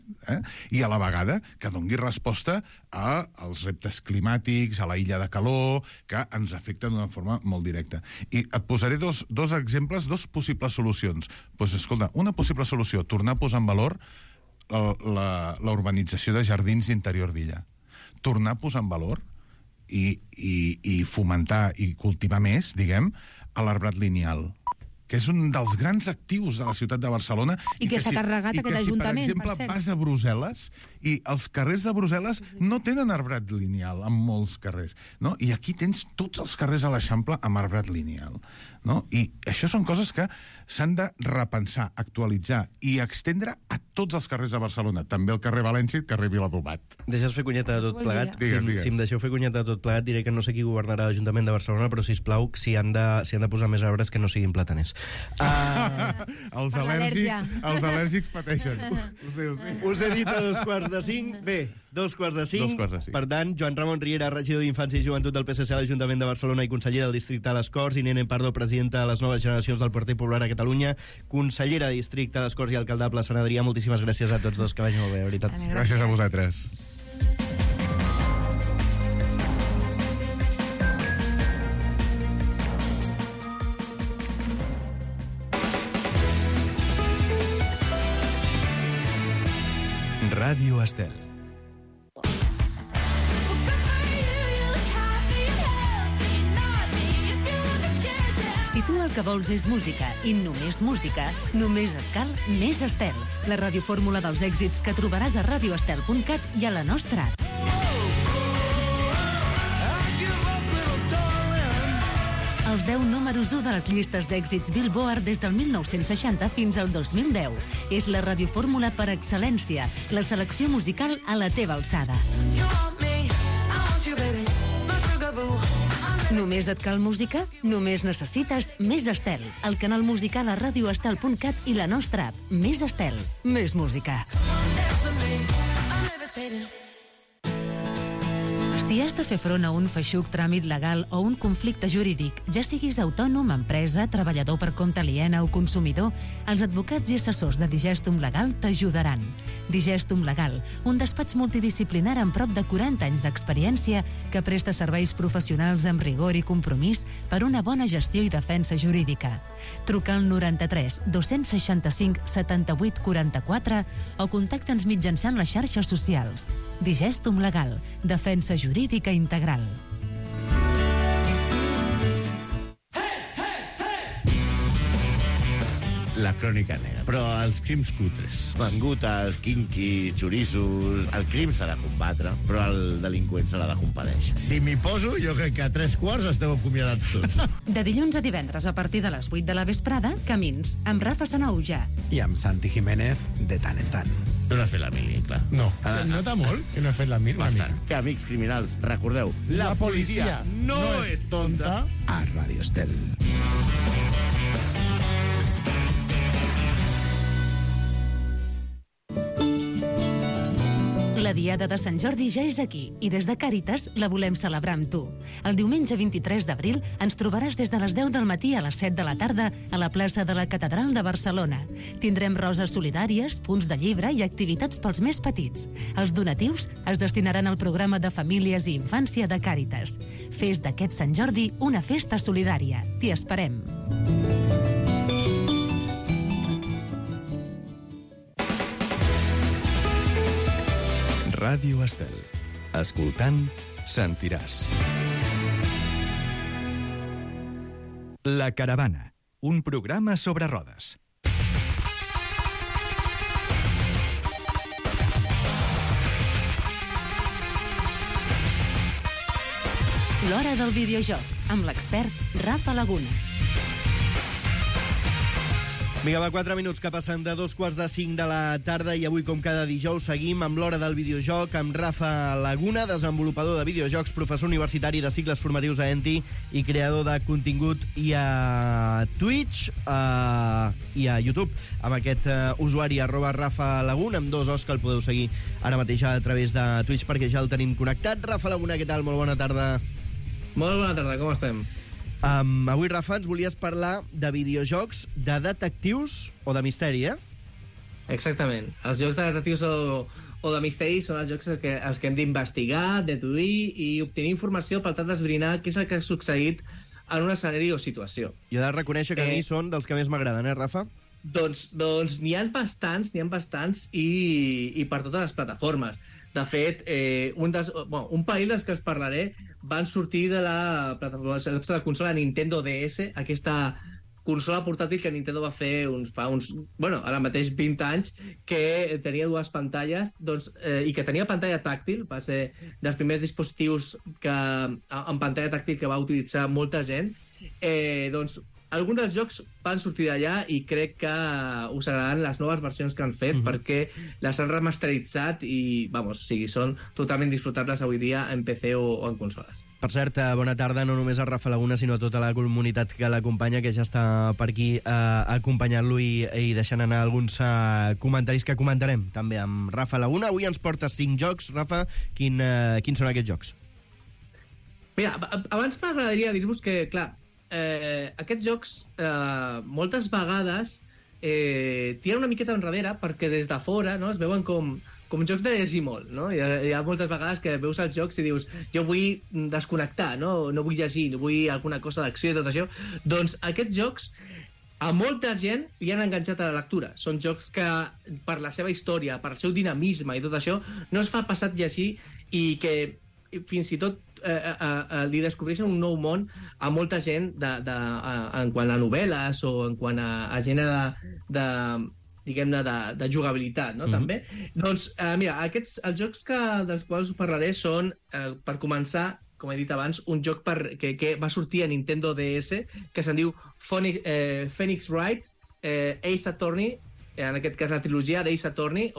C: i a la vegada que dongui resposta als reptes climàtics, a la illa de calor, que ens afecten d'una forma molt directa. I et posaré dos exemples, dos possibles solucions. Doncs, escolta, una possible solució, tornar a posar en valor la urbanització de jardins d'interior d'illa. Tornar a posar en valor i fomentar i cultivar més, diguem, l'arbrat lineal, que és un dels grans actius de la ciutat de Barcelona.
D: I que s'ha carregat aquest ajuntament, per cert.
C: I que si, per exemple, vas a Brussel·les i els carrers de Brussel·les no tenen arbrat lineal en molts carrers, no? I aquí tens tots els carrers a l'Eixample amb arbrat lineal, no? I això són coses que s'han de repensar, actualitzar i extendre a tots els carrers de Barcelona, també el carrer València i el carrer Viladomat.
B: Deixes fer cunyeta de tot plegat?
C: Digues.
B: Si em deixeu fer cunyeta de tot plegat, diré que no sé qui governarà l'Ajuntament de Barcelona, però, sisplau, si han de posar més arbres que no siguin plataners.
C: Els al·lèrgics pateixen. Ho sé.
B: Us he dit a 2:45. Bé, 2:45. Per tant, Joan Ramon Riera, regidor d'Infància i Joventut del PSC a l'Ajuntament de Barcelona i conseller del districte de les Corts, i Irene Pardo, presidenta de les noves generacions del Partit Popular a Catalunya, consellera de districte de les Corts i alcaldable Sant Adrià. Moltíssimes gràcies a tots dos, que vagi molt bé, de veritat.
C: Gràcies a vosaltres.
A: Ràdio Estel.
E: Si tu el que vols és música i només música, només et cal Més Estel, la radiofórmula dels èxits que trobaràs a radioestel.cat i a la nostra app. Els 10 números 1 de les llistes d'èxits Billboard des del 1960 fins al 2010. És la radiofórmula per excel·lència, la selecció musical a la teva alçada. Només et cal música? Només necessites Més Estel, el canal musical a radioestel.cat i la nostra app. Més Estel, més música. Si has de fer front a un feixuc tràmit legal o un conflicte jurídic, ja siguis autònom, empresa, treballador per compte aliena o consumidor, els advocats i assessors de Digestum Legal t'ajudaran. Digestum Legal, un despatx multidisciplinar amb prop de 40 anys d'experiència que presta serveis professionals amb rigor i compromís per una bona gestió i defensa jurídica. Truca al 93 265 78 44 o contacta'ns mitjançant les xarxes socials. Digestum Legal, defensa jurídica integral.
F: La crònica negra. Però els crims cutres, mangutes, quinquis, xoriços... El crim s'ha de combatre, però el delinqüent s'ha de compadèixer. Si m'hi poso, jo crec que a 3:15 esteu acomiadats tots.
E: De dilluns a divendres, a partir de les 8 de la vesprada, Camins, amb Rafa Sanauja.
G: I amb Santi Jiménez, de tant en tant.
F: Tu no has fet la mili, clar.
G: No. Nota molt que no he fet la mili.
F: Bastant. Que, amics criminals, recordeu, la policia no és tonta.
G: A Ràdio Estel.
E: La Diada de Sant Jordi ja és aquí i des de Càritas la volem celebrar amb tu. El diumenge 23 d'abril ens trobaràs des de les 10 del matí a les 7 de la tarda a la plaça de la Catedral de Barcelona. Tindrem roses solidàries, punts de llibre i activitats pels més petits. Els donatius es destinaran al programa de famílies i infància de Càritas. Fes d'aquest Sant Jordi una festa solidària. T'hi esperem.
A: Ràdio Estel. Escoltant, sentiràs. La Caravana, un programa sobre rodes.
E: L'hora del videojoc, amb l'expert Rafa Laguna.
B: Vinga, va, 4 minuts que passen de 2:45 de la tarda i avui, com cada dijous, seguim amb l'hora del videojoc amb Rafa Laguna, desenvolupador de videojocs, professor universitari de cicles formatius a ENTI i creador de contingut i a Twitch i a YouTube, amb aquest usuari @Rafa Laguna, amb 2 os que el podeu seguir ara mateix a través de Twitch perquè ja el tenim connectat. Rafa Laguna, què tal? Molt bona tarda.
H: Molt bona tarda, com estem?
B: Avui, Rafa, ens volies parlar de videojocs de detectius o de misteri, eh?
H: Exactament. Els jocs de detectius o de misteri són els jocs els que hem d'investigar, deduir i obtenir informació per tal d'esbrinar què és el que ha succeït en un escenari o situació.
B: Jo he de reconèixer que a mi són dels que més m'agraden, Rafa?
H: Doncs n'hi ha bastants i per totes les plataformes. De fet, un parell dels que us parlaré van sortir de la plataforma de la consola Nintendo DS, aquesta consola portàtil que Nintendo va fer ara mateix 20 anys, que tenia dues pantalles i que tenia pantalla tàctil. Va ser dels primers dispositius amb pantalla tàctil que va utilitzar molta gent. Alguns dels jocs van sortir d'allà i crec que us agradaran les noves versions que han fet, perquè les han remasteritzat i, són totalment disfrutables avui dia en PC o en consoles.
B: Per cert, bona tarda no només a Rafa Laguna, sinó a tota la comunitat que l'acompanya, que ja està per aquí acompanyant-lo i deixant anar alguns comentaris que comentarem també amb Rafa Laguna. Avui ens porta 5 jocs. Rafa, quins són aquests jocs?
H: Mira, abans m'agradaria dir-vos que, clar, aquests jocs moltes vegades tiren una miqueta enrere perquè des de fora, no, es veuen com jocs de llegir molt, no? Hi ha moltes vegades que veus els jocs i dius jo vull desconnectar, no vull llegir, no vull alguna cosa d'acció i tot això. Doncs aquests jocs a molta gent li han enganxat a la lectura. Són jocs que per la seva història, per el seu dinamisme i tot això, no es fa passat llegir i que fins i tot li descobreixen un nou món a molta gent en quant a novel·les o en quant a gènere de jugabilitat, no? També. Doncs, mira, els jocs dels quals us parlaré són, per començar, com he dit abans, un joc que va sortir a Nintendo DS, que se'n diu Phoenix Wright, Ace Attorney, en aquest cas la trilogia d'Ace Attorney,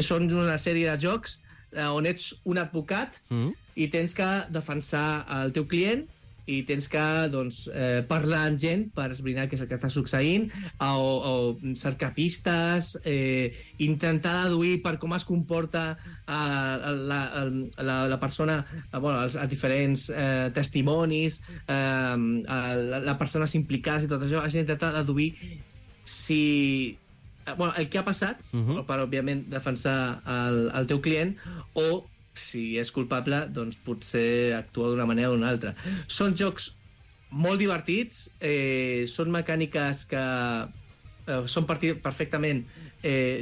H: són una sèrie de jocs on ets un advocat i tens que defensar el teu client i tens que parlar amb gent per esbrinar què és el que està succeint o cercar pistes, intentar deduir per com es comporta la persona, els diferents testimonis, les persones implicades i tot això. Has d'intentar deduir si el que ha passat, per, òbviament, defensar el teu client, o, si és culpable, doncs potser actua d'una manera o d'una altra. Són jocs molt divertits, són mecàniques que són perfectament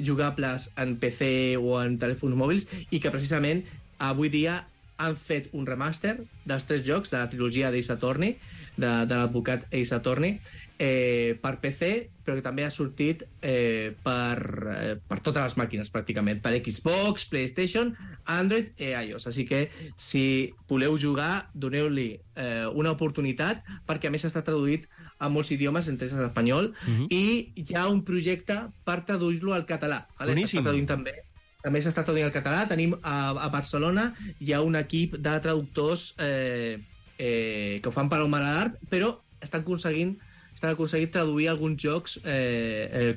H: jugables en PC o en telèfons mòbils i que, precisament, avui dia han fet un remaster dels 3 jocs de la trilogia d'Ace Attorney, de l'advocat Ace Attorney, per PC, però que també ha sortit per totes les màquines, pràcticament, per Xbox, PlayStation, Android i iOS. Així que, si voleu jugar, doneu-li una oportunitat, perquè a més està traduït a molts idiomes, entre ells l'espanyol, i hi ha un projecte per traduir-lo al català. S'està traduint també s'està traduint al català. Tenim a Barcelona, hi ha un equip de traductors que ho fan per al Malart, però estan aconseguint traduir alguns jocs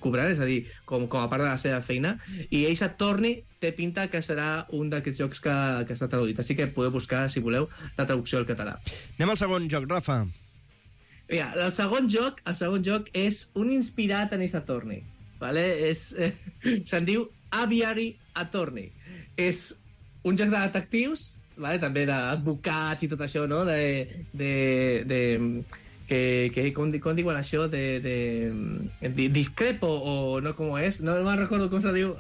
H: cobrant, és a dir, com a part de la seva feina, i Ace Attorney té pinta que serà un d'aquests jocs que està traduït, així que podeu buscar, si voleu, la traducció al català.
B: Anem al segon joc, Rafa.
H: Mira, el segon joc és un inspirat en Ace Attorney, vale? Se'n diu Aviary Attorney. És un joc de detectius, vale? També d'advocats i tot això, no? Com diuen això? Discrepo, o no, com és? No me'n recordo com se diu.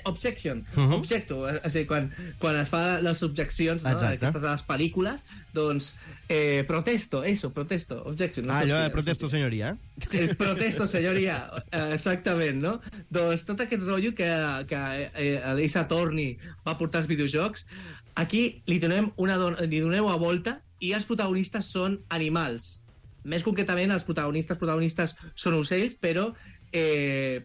H: Objection. Objecto. És a dir, quan es fa les objeccions, no? Aquestes de les pel·lícules, doncs protesto, objection.
B: Allò de protesto, senyoria.
H: Protesto, senyoria, exactament, no? Doncs tot aquest rotllo que l'Ace Attorney va portar als videojocs, aquí li donem una volta i els protagonistes són animals. Més concretament, els protagonistes són ocells, però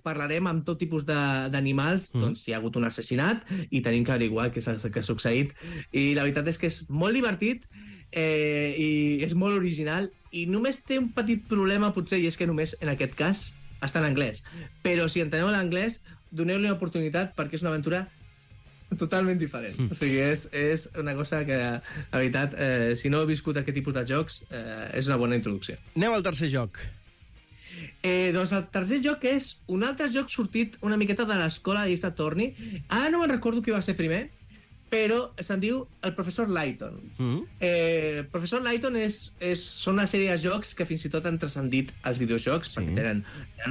H: parlarem amb tot tipus d'animals. Doncs hi ha hagut un assassinat i tenim que averiguar què ha succeït. I la veritat és que és molt divertit i és molt original, i només té un petit problema, potser, i és que només en aquest cas està en anglès. Però si enteneu l'anglès, doneu-li una oportunitat, perquè és una aventura totalment diferent. O sigui, és una cosa que, la veritat, si no heu viscut aquest tipus de jocs, és una bona introducció.
B: Anem al tercer joc.
H: Doncs el tercer joc és un altre joc sortit una miqueta de l'escola d'Ace Attorney. Ara no me'n recordo qui va ser primer, però se'n diu el Professor Layton. Professor Layton són una sèrie de jocs que fins i tot han transcendit els videojocs, perquè tenen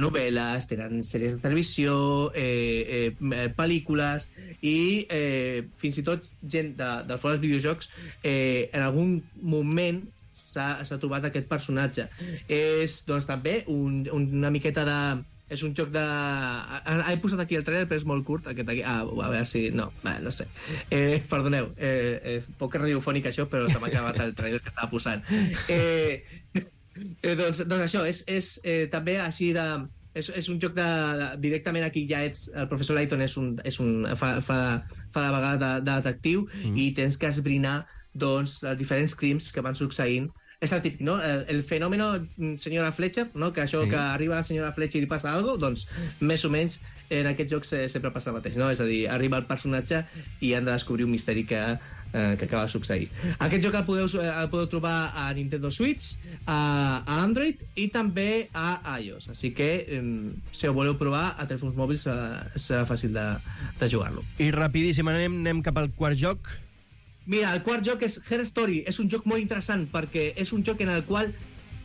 H: novel·les, tenen sèries de televisió, pel·lícules, i fins i tot gent del fora dels videojocs en algun moment s'ha trobat aquest personatge. És, doncs, també una miqueta de... És un joc de... He posat aquí el trailer, però és molt curt, aquest aquí. A veure si... No sé. Perdoneu, poc radiofònic això, però se m'ha acabat el trailer que estava posant. Doncs això, és també així de... És un joc de... Directament aquí ja ets... El professor Layton fa de vegada de detectiu i tens que esbrinar, doncs, els diferents crims que van succeint. És el típic, no? El fenòmeno senyora Fletcher, no? Que això que arriba la senyora Fletcher i li passa alguna cosa, doncs més o menys en aquest joc sempre passa el mateix, no? És a dir, arriba el personatge i han de descobrir un misteri que acaba de succeir. Aquest joc el podeu trobar a Nintendo Switch, a Android i també a iOS. Així que, si ho voleu provar a telèfons mòbils, serà fàcil de jugar-lo.
B: I rapidíssim, anem cap al quart joc.
H: Mira, el quart joc és Her Story. És un joc molt interessant perquè és un joc en el qual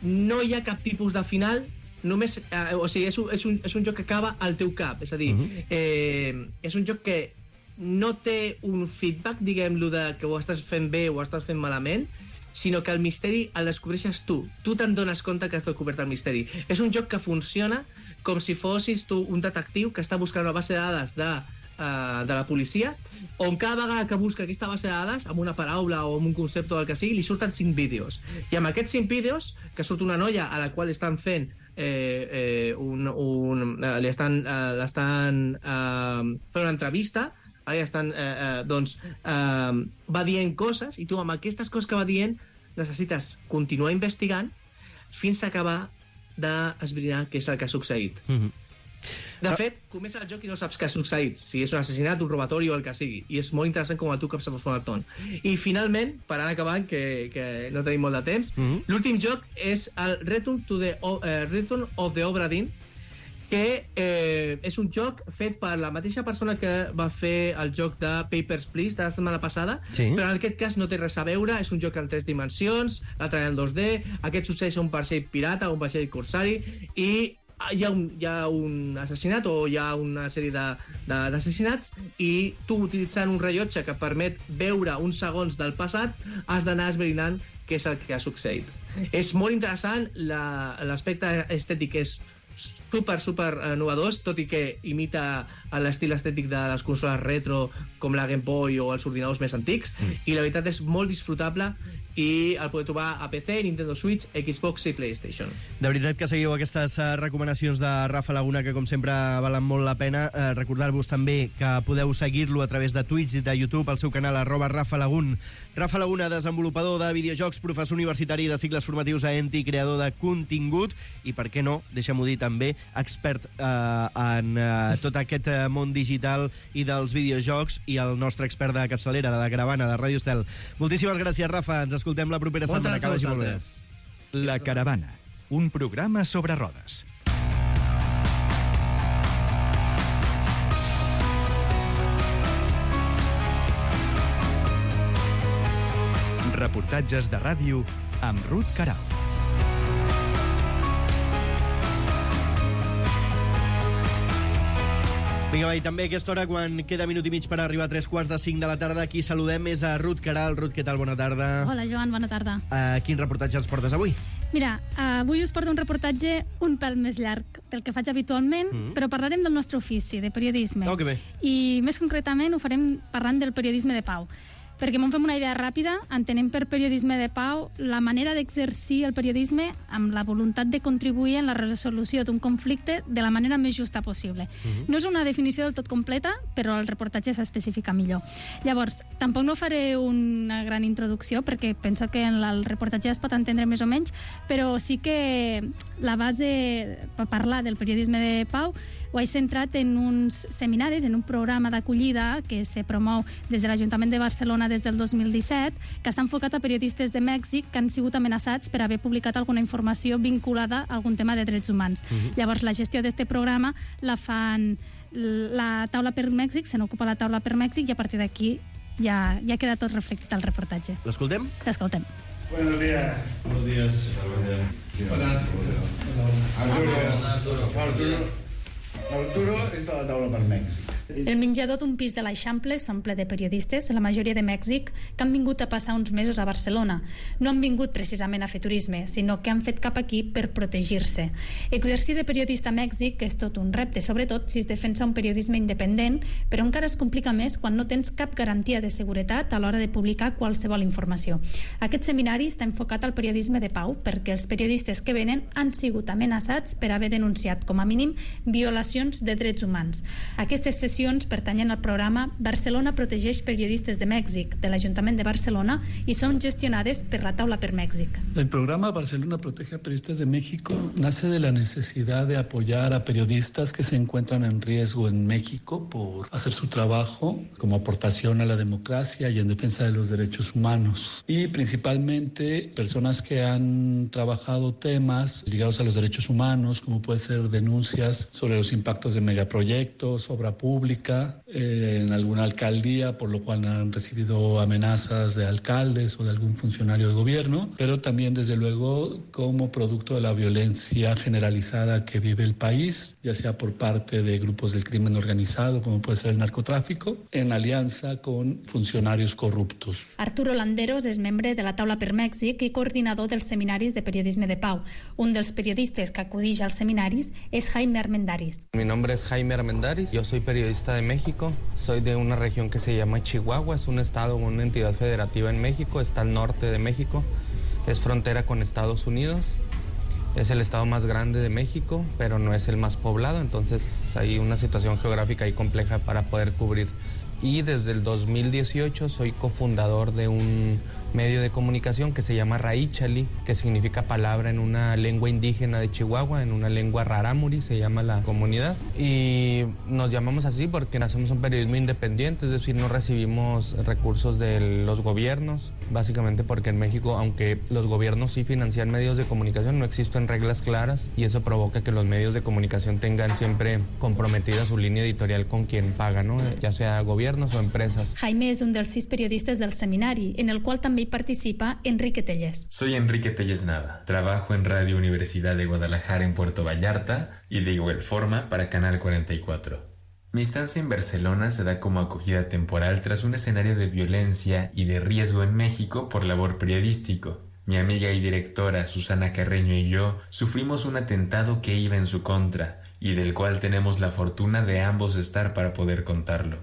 H: no hi ha cap tipus de final, només, o sigui, és un joc que acaba al teu cap. És a dir, és un joc que no té un feedback, diguem-lo, de que ho estàs fent bé o ho estàs fent malament, sinó que el misteri el descobreixes tu. Tu te'n dones compte que has descobert el misteri. És un joc que funciona com si fossis tu un detectiu que està buscant una base de dades de la policia, on cada vegada que busca aquesta base de dades, amb una paraula o amb un concepte o el que sigui, li surten 5 vídeos. I amb aquests 5 vídeos, que surt una noia a la qual estan fent l'estan fent una entrevista, va dient coses, i tu amb aquestes coses que va dient necessites continuar investigant fins a acabar d'esbrinar què és el que ha succeït. De fet, comença el joc i no saps què ha succeït, si és un assassinat, un robatori o el que sigui, i és molt interessant com a tu caps a fora el ton. I finalment, per anar acabant, que no tenim molt de temps, l'últim joc és el Return of the Obra Dinn, que és un joc fet per la mateixa persona que va fer el joc de Papers, Please de la setmana passada, però en aquest cas no té res a veure, és un joc en 3 dimensions, l'altre en 2D, aquest succeeix un vaixell pirata, un vaixell corsari, i hi ha un assassinat o hi ha una sèrie d'assassinats i tu, utilitzant un rellotge que permet veure uns segons del passat, has d'anar esbrinant què és el que ha succeït. És molt interessant, l'aspecte estètic és super novedós, tot i que imita l'estil estètic de les consoles retro com la Game Boy o els ordinadors més antics, i la veritat és molt disfrutable i el podeu trobar a PC, Nintendo Switch, Xbox i PlayStation.
B: De veritat que seguiu aquestes recomanacions de Rafa Laguna, que com sempre valen molt la pena. Recordar-vos també que podeu seguir-lo a través de Twitch i de YouTube, al seu canal @RafaLagun. Rafa Laguna, desenvolupador de videojocs, professor universitari de cicles formatius a ENTI, creador de contingut i, per què no, deixa'm-ho dir també, expert en tot aquest món digital i dels videojocs, i el nostre expert de capçalera, de la caravana de Ràdio Estel. Moltíssimes gràcies, Rafa. Ens escoltem la propera setmana. Que vagi molt bé.
A: La Caravana, un programa sobre rodes. Reportatges de ràdio amb Ruth Queralt.
B: Vinga, i també a aquesta hora, quan queda minut i mig per arribar a 3:45 de la tarda, aquí saludem és a Ruth Queralt. Ruth, què tal? Bona tarda.
I: Hola, Joan, bona tarda.
B: Quin reportatge ens portes avui?
I: Mira, avui us porto un reportatge un pèl més llarg del que faig habitualment, però parlarem del nostre ofici, de periodisme.
B: Oh, que bé.
I: I més concretament ho farem parlant del periodisme de pau. Perquè m'en fem una idea ràpida, entenem per periodisme de pau la manera d'exercir el periodisme amb la voluntat de contribuir en la resolució d'un conflicte de la manera més justa possible. No és una definició del tot completa, però el reportatge s'especifica millor. Llavors, tampoc no faré una gran introducció, perquè penso que en el reportatge es pot entendre més o menys, però sí que la base per parlar del periodisme de pau ho he centrat en uns seminaris, en un programa d'acollida que se promou des de l'Ajuntament de Barcelona des del 2017, que està enfocat a periodistes de Mèxic que han sigut amenaçats per haver publicat alguna informació vinculada a algun tema de drets humans. Llavors, la gestió d'aquest programa la fan la Taula per Mèxic, se n'ocupa la Taula per Mèxic, i a partir d'aquí ja queda tot reflectit al reportatge.
B: L'escoltem?
I: L'escoltem.
J: Buenos días.
K: Buenos días.
J: Arturo és de la Taula per Mèxic.
I: El menjador d'un pis de l'Eixample s'omple de periodistes, la majoria de Mèxic, que han vingut a passar uns mesos a Barcelona. No han vingut precisament a fer turisme, sinó que han fet cap aquí per protegir-se. Exercir de periodista a Mèxic és tot un repte, sobretot si es defensa un periodisme independent, però encara es complica més quan no tens cap garantia de seguretat a l'hora de publicar qualsevol informació. Aquest seminari està enfocat al periodisme de pau, perquè els periodistes que venen han sigut amenaçats per haver denunciat, com a mínim, violacions de drets humans. Aquestes sessions pertanyen al programa Barcelona protegeix periodistas de Mèxic, de l'Ajuntament de Barcelona, y son gestionades per la Taula per Mèxic.
L: El programa Barcelona protege a periodistas de México nace de la necesidad de apoyar a periodistas que se encuentran en riesgo en México por hacer su trabajo como aportación a la democracia y en defensa de los derechos humanos. Y principalmente personas que han trabajado temas ligados a los derechos humanos, como puede ser denuncias sobre los impactos de megaproyectos, obra pública, en alguna alcaldía, por lo cual han recibido amenazas de alcaldes o de algún funcionario de gobierno, pero también, desde luego, como producto de la violencia generalizada que vive el país, ya sea por parte de grupos del crimen organizado, como puede ser el narcotráfico, en alianza con funcionarios corruptos.
I: Arturo Landeros és membre de la Taula per Mèxic i coordinador dels seminaris de periodisme de pau. Un dels periodistes que acudix als seminaris és Jaime Armendáriz.
M: Mi nombre es Jaime Armendáriz, yo soy periodista de México, soy de una región que se llama Chihuahua, es un estado, una entidad federativa en México, está al norte de México, es frontera con Estados Unidos, es el estado más grande de México, pero no es el más poblado, entonces hay una situación geográfica ahí compleja para poder cubrir. Y desde el 2018 soy cofundador de un medio de comunicación que se llama Raíchali, que significa palabra en una lengua indígena de Chihuahua, en una lengua rarámuri, se llama la comunidad. Y nos llamamos así porque hacemos un periodismo independiente, es decir, no recibimos recursos de los gobiernos, básicamente porque en México, aunque los gobiernos sí financian medios de comunicación, no existen reglas claras y eso provoca que los medios de comunicación tengan siempre comprometida su línea editorial con quien paga, ¿no? Ya sea gobiernos o empresas.
I: Jaime és un dels 6 periodistes del seminari, en el qual també hi participa Enrique Tellez.
N: Soy Enrique Tellez Nava. Trabajo en Radio Universidad de Guadalajara en Puerto Vallarta y de igual forma para Canal 44. Mi estancia en Barcelona se da como acogida temporal tras un escenario de violencia y de riesgo en México por labor periodístico. Mi amiga y directora Susana Carreño y yo sufrimos un atentado que iba en su contra y del cual tenemos la fortuna de ambos estar para poder contarlo.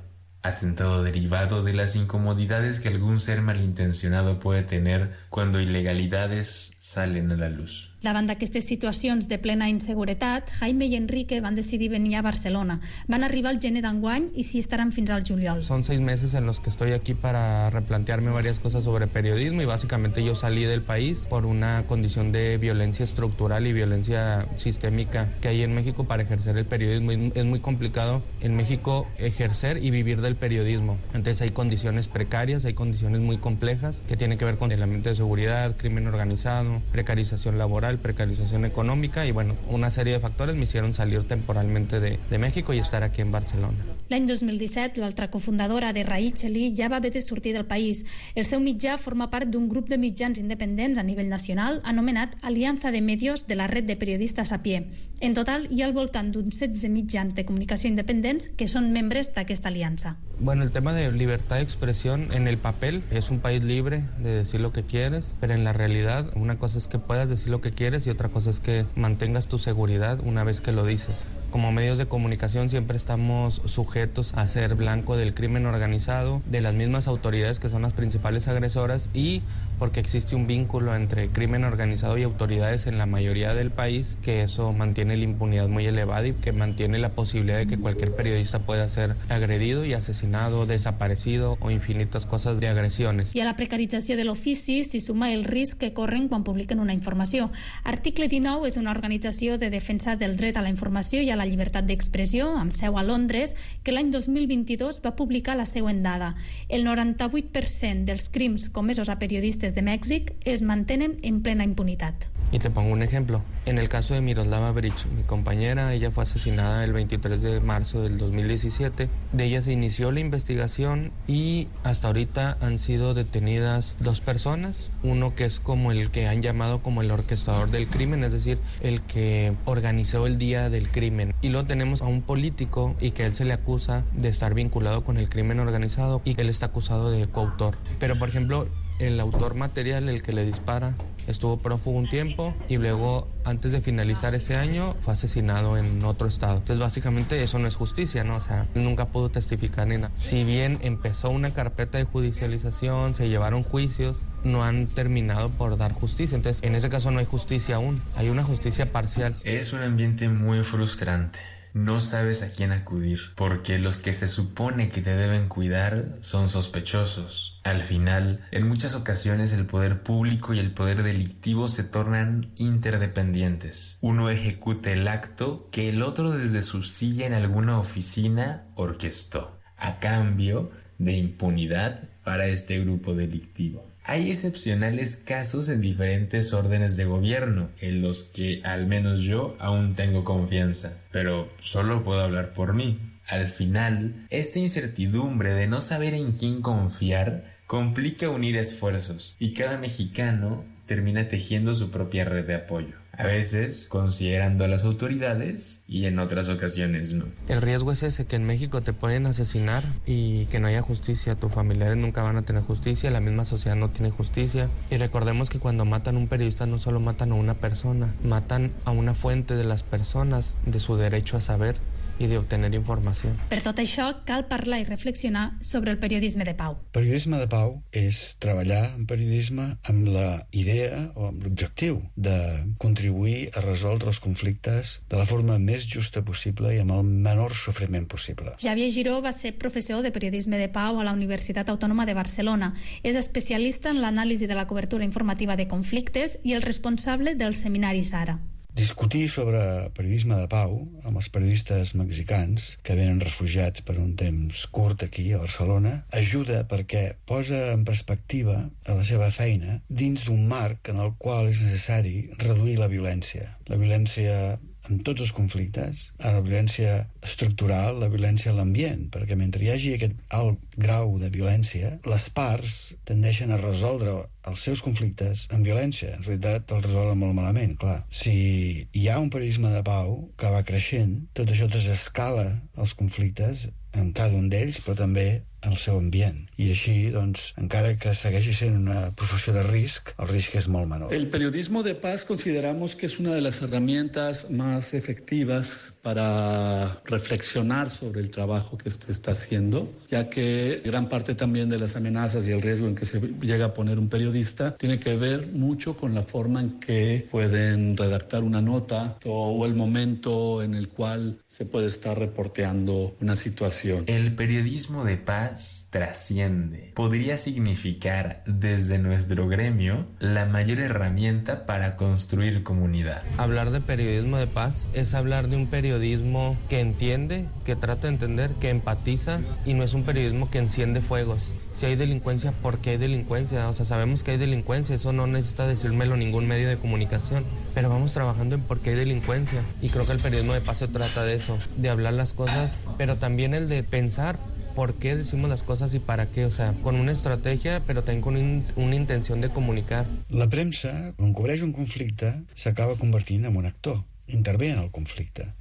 N: Atentado derivado de las incomodidades que algún ser malintencionado puede tener cuando ilegalidades salen a la luz.
I: Davant d'aquestes situacions de plena inseguretat, Jaime i Enrique van decidir venir a Barcelona. Van arribar al gener d'enguany i s'hi estaran fins al juliol.
M: Son 6 meses en los que estoy aquí para replantearme varias cosas sobre periodismo y básicamente yo salí del país por una condición de violencia estructural y violencia sistémica que hay en México para ejercer el periodismo. Es muy complicado en México ejercer y vivir del periodismo. Entonces hay condiciones precarias, hay condiciones muy complejas que tienen que ver con el ambiente de seguridad, crimen organizado, precarización laboral, precarización económica y bueno, una serie de factores me hicieron salir temporalmente de México y estar aquí en Barcelona.
I: L'any 2017, l'altra cofundadora de Raíchali ja va haver de sortir del país. El seu mitjà forma part d'un grup de mitjans independents a nivell nacional anomenat Alianza de Medios de la Red de Periodistas a Pie. En total, hi ha al voltant d'uns 16 mitjans de comunicació independents que són membres d'aquesta aliança.
M: Bueno, el tema de libertad de expresión en el papel es un país libre de decir lo que quieres, pero en la realidad una cosa es que puedas decir lo que quieres y otra cosa es que mantengas tu seguridad una vez que lo dices. Como medios de comunicación siempre estamos sujetos a ser blanco del crimen organizado, de las mismas autoridades que son las principales agresoras, y porque existe un vínculo entre crimen organizado y autoridades en la mayoría del país, que eso mantiene la impunidad muy elevada y que mantiene la posibilidad de que cualquier periodista pueda ser agredido y asesinado, desaparecido o infinitas cosas de agressiones.
I: I a la precarització de l'ofici s'hi suma el risc que corren quan publiquen una informació. Article 19 és una organització de defensa del dret a la informació i a la llibertat d'expressió, amb seu a Londres, que l'any 2022 va publicar la següent dada. El 98% dels crims comesos a periodistes de Mèxic es mantenen en plena impunitat.
M: Y te pongo un ejemplo. En el caso de Miroslava Breach, mi compañera, ella fue asesinada el 23 de marzo del 2017. De ella se inició la investigación y hasta ahorita han sido detenidas 2 personas. Uno que es como el que han llamado como el orquestador del crimen, es decir, el que organizó el día del crimen. Y luego tenemos a un político y que él se le acusa de estar vinculado con el crimen organizado y que él está acusado de coautor. Pero, por ejemplo, el autor material, el que le dispara, estuvo prófugo un tiempo y luego, antes de finalizar ese año, fue asesinado en otro estado. Entonces, básicamente, eso no es justicia, ¿no? O sea, nunca pudo testificar ni nada. Si bien empezó una carpeta de judicialización, se llevaron juicios, no han terminado por dar justicia. Entonces, en ese caso no hay justicia aún, hay una justicia parcial.
N: Es un ambiente muy frustrante. No sabes a quién acudir, porque los que se supone que te deben cuidar son sospechosos. Al final, en muchas ocasiones el poder público y el poder delictivo se tornan interdependientes. Uno ejecuta el acto que el otro desde su silla en alguna oficina orquestó, a cambio de impunidad para este grupo delictivo. Hay excepcionales casos en diferentes órdenes de gobierno, en los que al menos yo aún tengo confianza, pero solo puedo hablar por mí. Al final, esta incertidumbre de no saber en quién confiar complica unir esfuerzos, y cada mexicano termina tejiendo su propia red de apoyo. A veces considerando a las autoridades y en otras ocasiones no.
M: El riesgo es ese, que en México te pueden asesinar y que no haya justicia. Tus familiares nunca van a tener justicia, la misma sociedad no tiene justicia. Y recordemos que cuando matan a un periodista no solo matan a una persona, matan a una fuente de las personas, de su derecho a saber i d'obtenir informació.
I: Per tot això, cal parlar i reflexionar sobre el periodisme de pau.
K: Periodisme de pau és treballar en periodisme amb la idea o amb l'objectiu de contribuir a resoldre els conflictes de la forma més justa possible i amb el menor sofriment possible.
I: Xavier Giró va ser professor de periodisme de pau a la Universitat Autònoma de Barcelona. És especialista en l'anàlisi de la cobertura informativa de conflictes i el responsable del seminari Sara.
K: Discutir sobre periodisme de pau amb els periodistes mexicans que venen refugiats per un temps curt aquí a Barcelona ajuda perquè posa en perspectiva a la seva feina dins d'un marc en el qual és necessari reduir la violència. La violència en tots els conflictes, la violència estructural, la violència a l'ambient, perquè mentre hi hagi aquest alt grau de violència, les parts tendeixen a resoldre els seus conflictes amb violència. En realitat els resolen molt malament, clar. Si hi ha un periodisme de pau que va creixent, tot això desescala els conflictes en cada un d'ells, però també en el seu ambient. I així, doncs, encara que segueixi sent una professió de risc, el risc es molt menor.
L: El periodismo de paz consideramos que es una de las herramientas más efectivas para reflexionar sobre el trabajo que se está haciendo, ya que gran parte también de las amenazas y el riesgo en que se llega a poner un periodista tiene que ver mucho con la forma en que pueden redactar una nota o el momento en el cual se puede estar reporteando una situación.
N: El periodismo de paz trasciende. Podría significar desde nuestro gremio la mayor herramienta para construir comunidad.
M: Hablar de periodismo de paz es hablar de un periodismo que entiende, que trata de entender, que empatiza, y no es un periodismo que enciende fuegos. Si hay delincuencia, ¿por qué hay delincuencia? O sea, sabemos que hay delincuencia, eso no necesita decírmelo ningún medio de comunicación, pero vamos trabajando en por qué hay delincuencia. Y creo que el periodismo de paz se trata de eso, de hablar las cosas, pero también el de pensar por qué decimos las cosas y para qué, o sea, con una estrategia, pero también con una intención de comunicar.
K: La premsa, quan cobreix un conflicte, s'acaba convertint en un actor, intervé en el conflicte,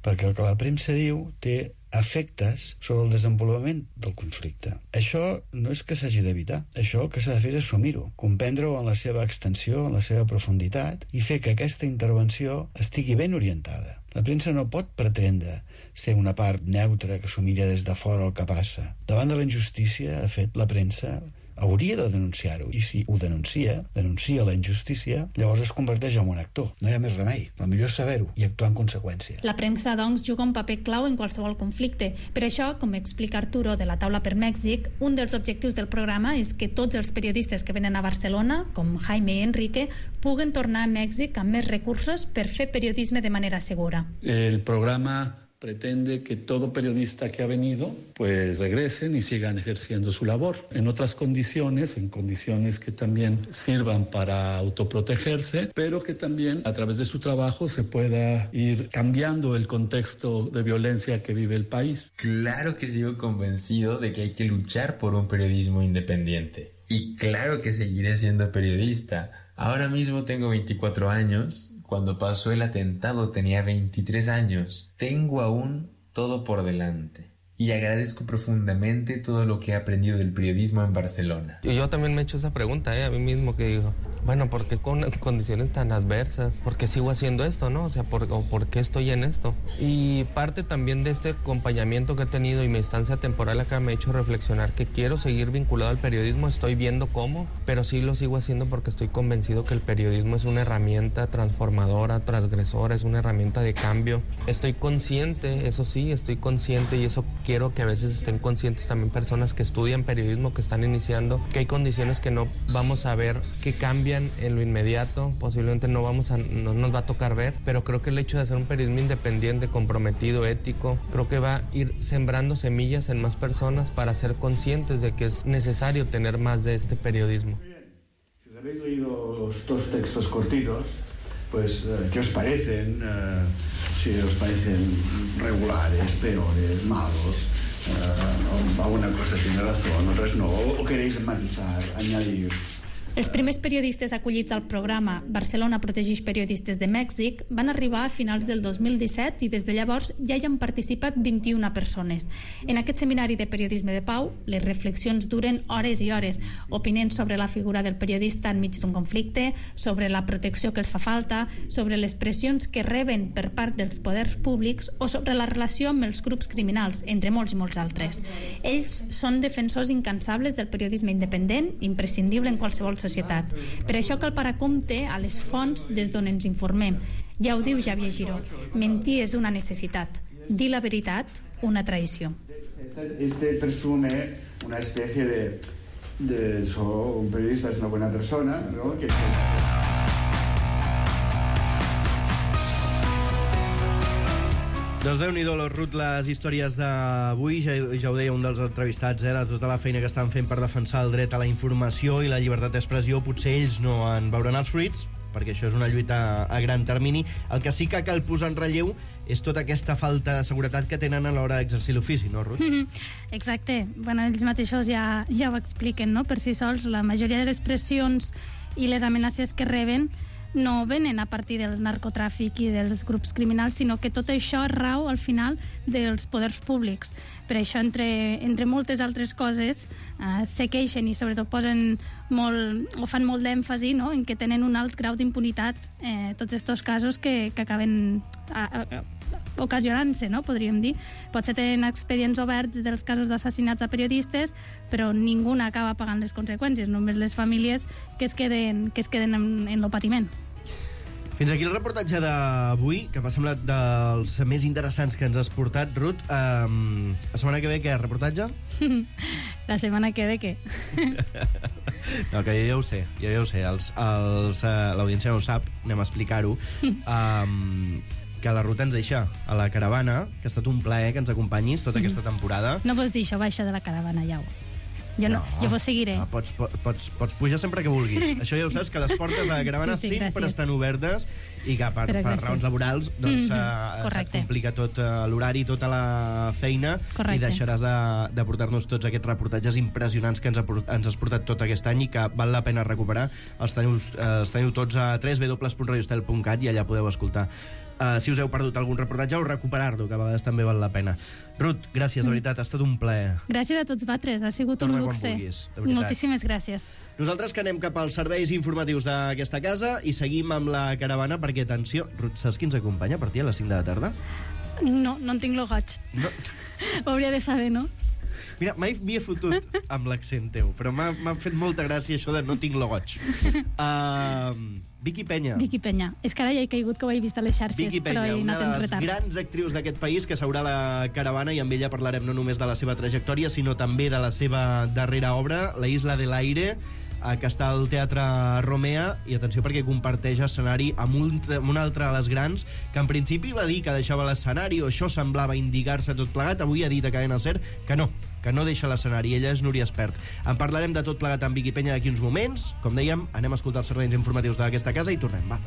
K: perquè el que la premsa diu té efectes sobre el desenvolupament del conflicte. Això no és que s'hagi d'evitar. Això el que s'ha de fer és assumir-ho, comprendre-ho en la seva extensió, en la seva profunditat, i fer que aquesta intervenció estigui ben orientada. La premsa no pot pretendre ser una part neutra que s'ho mira des de fora el que passa. Davant de la injustícia, de fet, la premsa hauria de denunciar-ho, i si ho denuncia la injustícia, llavors es converteix en un actor. No hi ha més remei. El millor és saber-ho i actuar en conseqüència.
I: La premsa, doncs, juga un paper clau en qualsevol conflicte. Per això, com explica Arturo de la Taula per Mèxic, un dels objectius del programa és que tots els periodistes que venen a Barcelona, com Jaime i Enrique, puguen tornar a Mèxic amb més recursos per fer periodisme de manera segura.
L: El programa pretende que todo periodista que ha venido pues regresen y sigan ejerciendo su labor en otras condiciones, en condiciones que también sirvan para autoprotegerse, pero que también a través de su trabajo se pueda ir cambiando el contexto de violencia que vive el país.
N: Claro que sigo convencido de que hay que luchar por un periodismo independiente. Y claro que seguiré siendo periodista. Ahora mismo tengo 24 años. Cuando pasó el atentado tenía 23 años. Tengo aún todo por delante. Y agradezco profundamente todo lo que he aprendido del periodismo en Barcelona.
M: Y yo también me he hecho esa pregunta, a mí mismo, que digo, bueno, ¿por qué con condiciones tan adversas? ¿Por qué sigo haciendo esto, no? O sea, ¿por qué estoy en esto? Y parte también de este acompañamiento que he tenido y mi estancia temporal acá me ha hecho reflexionar que quiero seguir vinculado al periodismo, estoy viendo cómo, pero sí lo sigo haciendo porque estoy convencido que el periodismo es una herramienta transformadora, transgresora, es una herramienta de cambio. Estoy consciente, eso sí, estoy consciente, y eso quiero que a veces estén conscientes también personas que estudian periodismo, que están iniciando, que hay condiciones que no vamos a ver, que cambian en lo inmediato, posiblemente no nos va a tocar ver, pero creo que el hecho de hacer un periodismo independiente, comprometido, ético, creo que va a ir sembrando semillas en más personas para ser conscientes de que es necesario tener más de este periodismo.
K: Si os habéis leído los dos textos cortitos, pues, ¿qué os parecen? Si os parecen regulares, peores, malos, alguna cosa tiene razón, otras no, o queréis matizar, añadir.
I: Els primers periodistes acollits al programa Barcelona protegeix periodistes de Mèxic van arribar a finals del 2017 i des de llavors ja hi han participat 21 persones. En aquest seminari de periodisme de pau, les reflexions duren hores i hores, opinant sobre la figura del periodista enmig d'un conflicte, sobre la protecció que els fa falta, sobre les pressions que reben per part dels poders públics o sobre la relació amb els grups criminals, entre molts i molts altres. Ells són defensors incansables del periodisme independent, imprescindible en qualsevol societat. Per això cal parar compte a les fonts des d'on ens informem. Ja ho diu Xavier Giró, mentir és una necessitat, dir la veritat, una traïció.
K: Este presume una especie de solo un periodista es una buena persona, ¿no? Que
B: Doncs Déu-n'hi-do, Ruth, les històries d'avui, ja ho deia un dels entrevistats, de tota la feina que estan fent per defensar el dret a la informació i la llibertat d'expressió, potser ells no en veuran els fruits, perquè això és una lluita a gran termini. El que sí que cal posar en relleu és tota aquesta falta de seguretat que tenen a l'hora d'exercir l'ofici, no, Ruth?
I: Exacte. Bueno, ells mateixos ja ho expliquen, no? Per si sols, la majoria de les pressions i les amenaces que reben no venen a partir del narcotràfic i dels grups criminals, sinó que tot això rau al final dels poders públics. Per això, entre moltes altres coses, se queixen i sobretot posen molt, o fan molt d'èmfasi, no?, en que tenen un alt grau d'impunitat tots aquests casos que acaben ocasionant-se, no?, podríem dir. Potser tenen expedients oberts dels casos d'assassinats a periodistes, però ningú acaba pagant les conseqüències, només les famílies que es queden en lo patiment.
B: Fins aquí el reportatge d'avui, que m'ha semblat dels més interessants que ens has portat, Ruth. La setmana que ve, què? Reportatge?
I: La setmana que ve, què?
B: No, que ja ho sé. L'audiència no ho sap, anem a explicar-ho. Que la Ruth ens deixa a la caravana, que ha estat un plaer que ens acompanyis tota aquesta temporada.
I: No vols dir això, baixa de la caravana, ja. Jo vos seguiré.
B: No, pots pujar sempre que vulguis. Això ja ho saps, que les portes de la caravana sempre estan obertes i que per raons laborals doncs, se't complica tot l'horari, tota la feina. Correcte. I deixaràs de portar-nos tots aquests reportatges impressionants que ens has portat tot aquest any i que val la pena recuperar. Els teniu tots a www.radiostel.cat i allà podeu escoltar si us heu perdut algun reportatge, o recuperar-lo, que a vegades també val la pena. Ruth, gràcies, de veritat, ha estat un plaer.
I: Gràcies a tots vosaltres, ha sigut un luxe. Moltíssimes gràcies.
B: Nosaltres que anem cap als serveis informatius d'aquesta casa i seguim amb la caravana, perquè, atenció, Ruth, saps qui ens acompanya a partir de les 5 de la tarda?
I: No en tinc lo goig.
B: No.
I: Ho hauria de saber, no?
B: Mira, mai m'hi he fotut amb l'accent teu, però m'ha fet molta gràcia això de no tinc lo goig. Vicky Peña.
I: Vicky Peña. És que ara ja he caigut que ho he vist a les xarxes,
B: Vicky Peña,
I: però he
B: una
I: anat en
B: de les
I: retard.
B: grans actrius d'aquest país que s'haurà a la caravana, i amb ella parlarem no només de la seva trajectòria, sinó també de la seva darrera obra, La Isla del Aire, que està al Teatre Romea, i atenció perquè comparteix escenari amb un altre de les grans, que en principi va dir que deixava l'escenari, o això semblava indicar-se tot plegat. Avui ha dit a Cadena Ser que no deixa l'escenari. Ella és Núria Espert. En parlarem de tot plegat amb Vicky Peña d'aquí uns moments. Com dèiem, anem a escoltar els serveis informatius d'aquesta casa i tornem, va.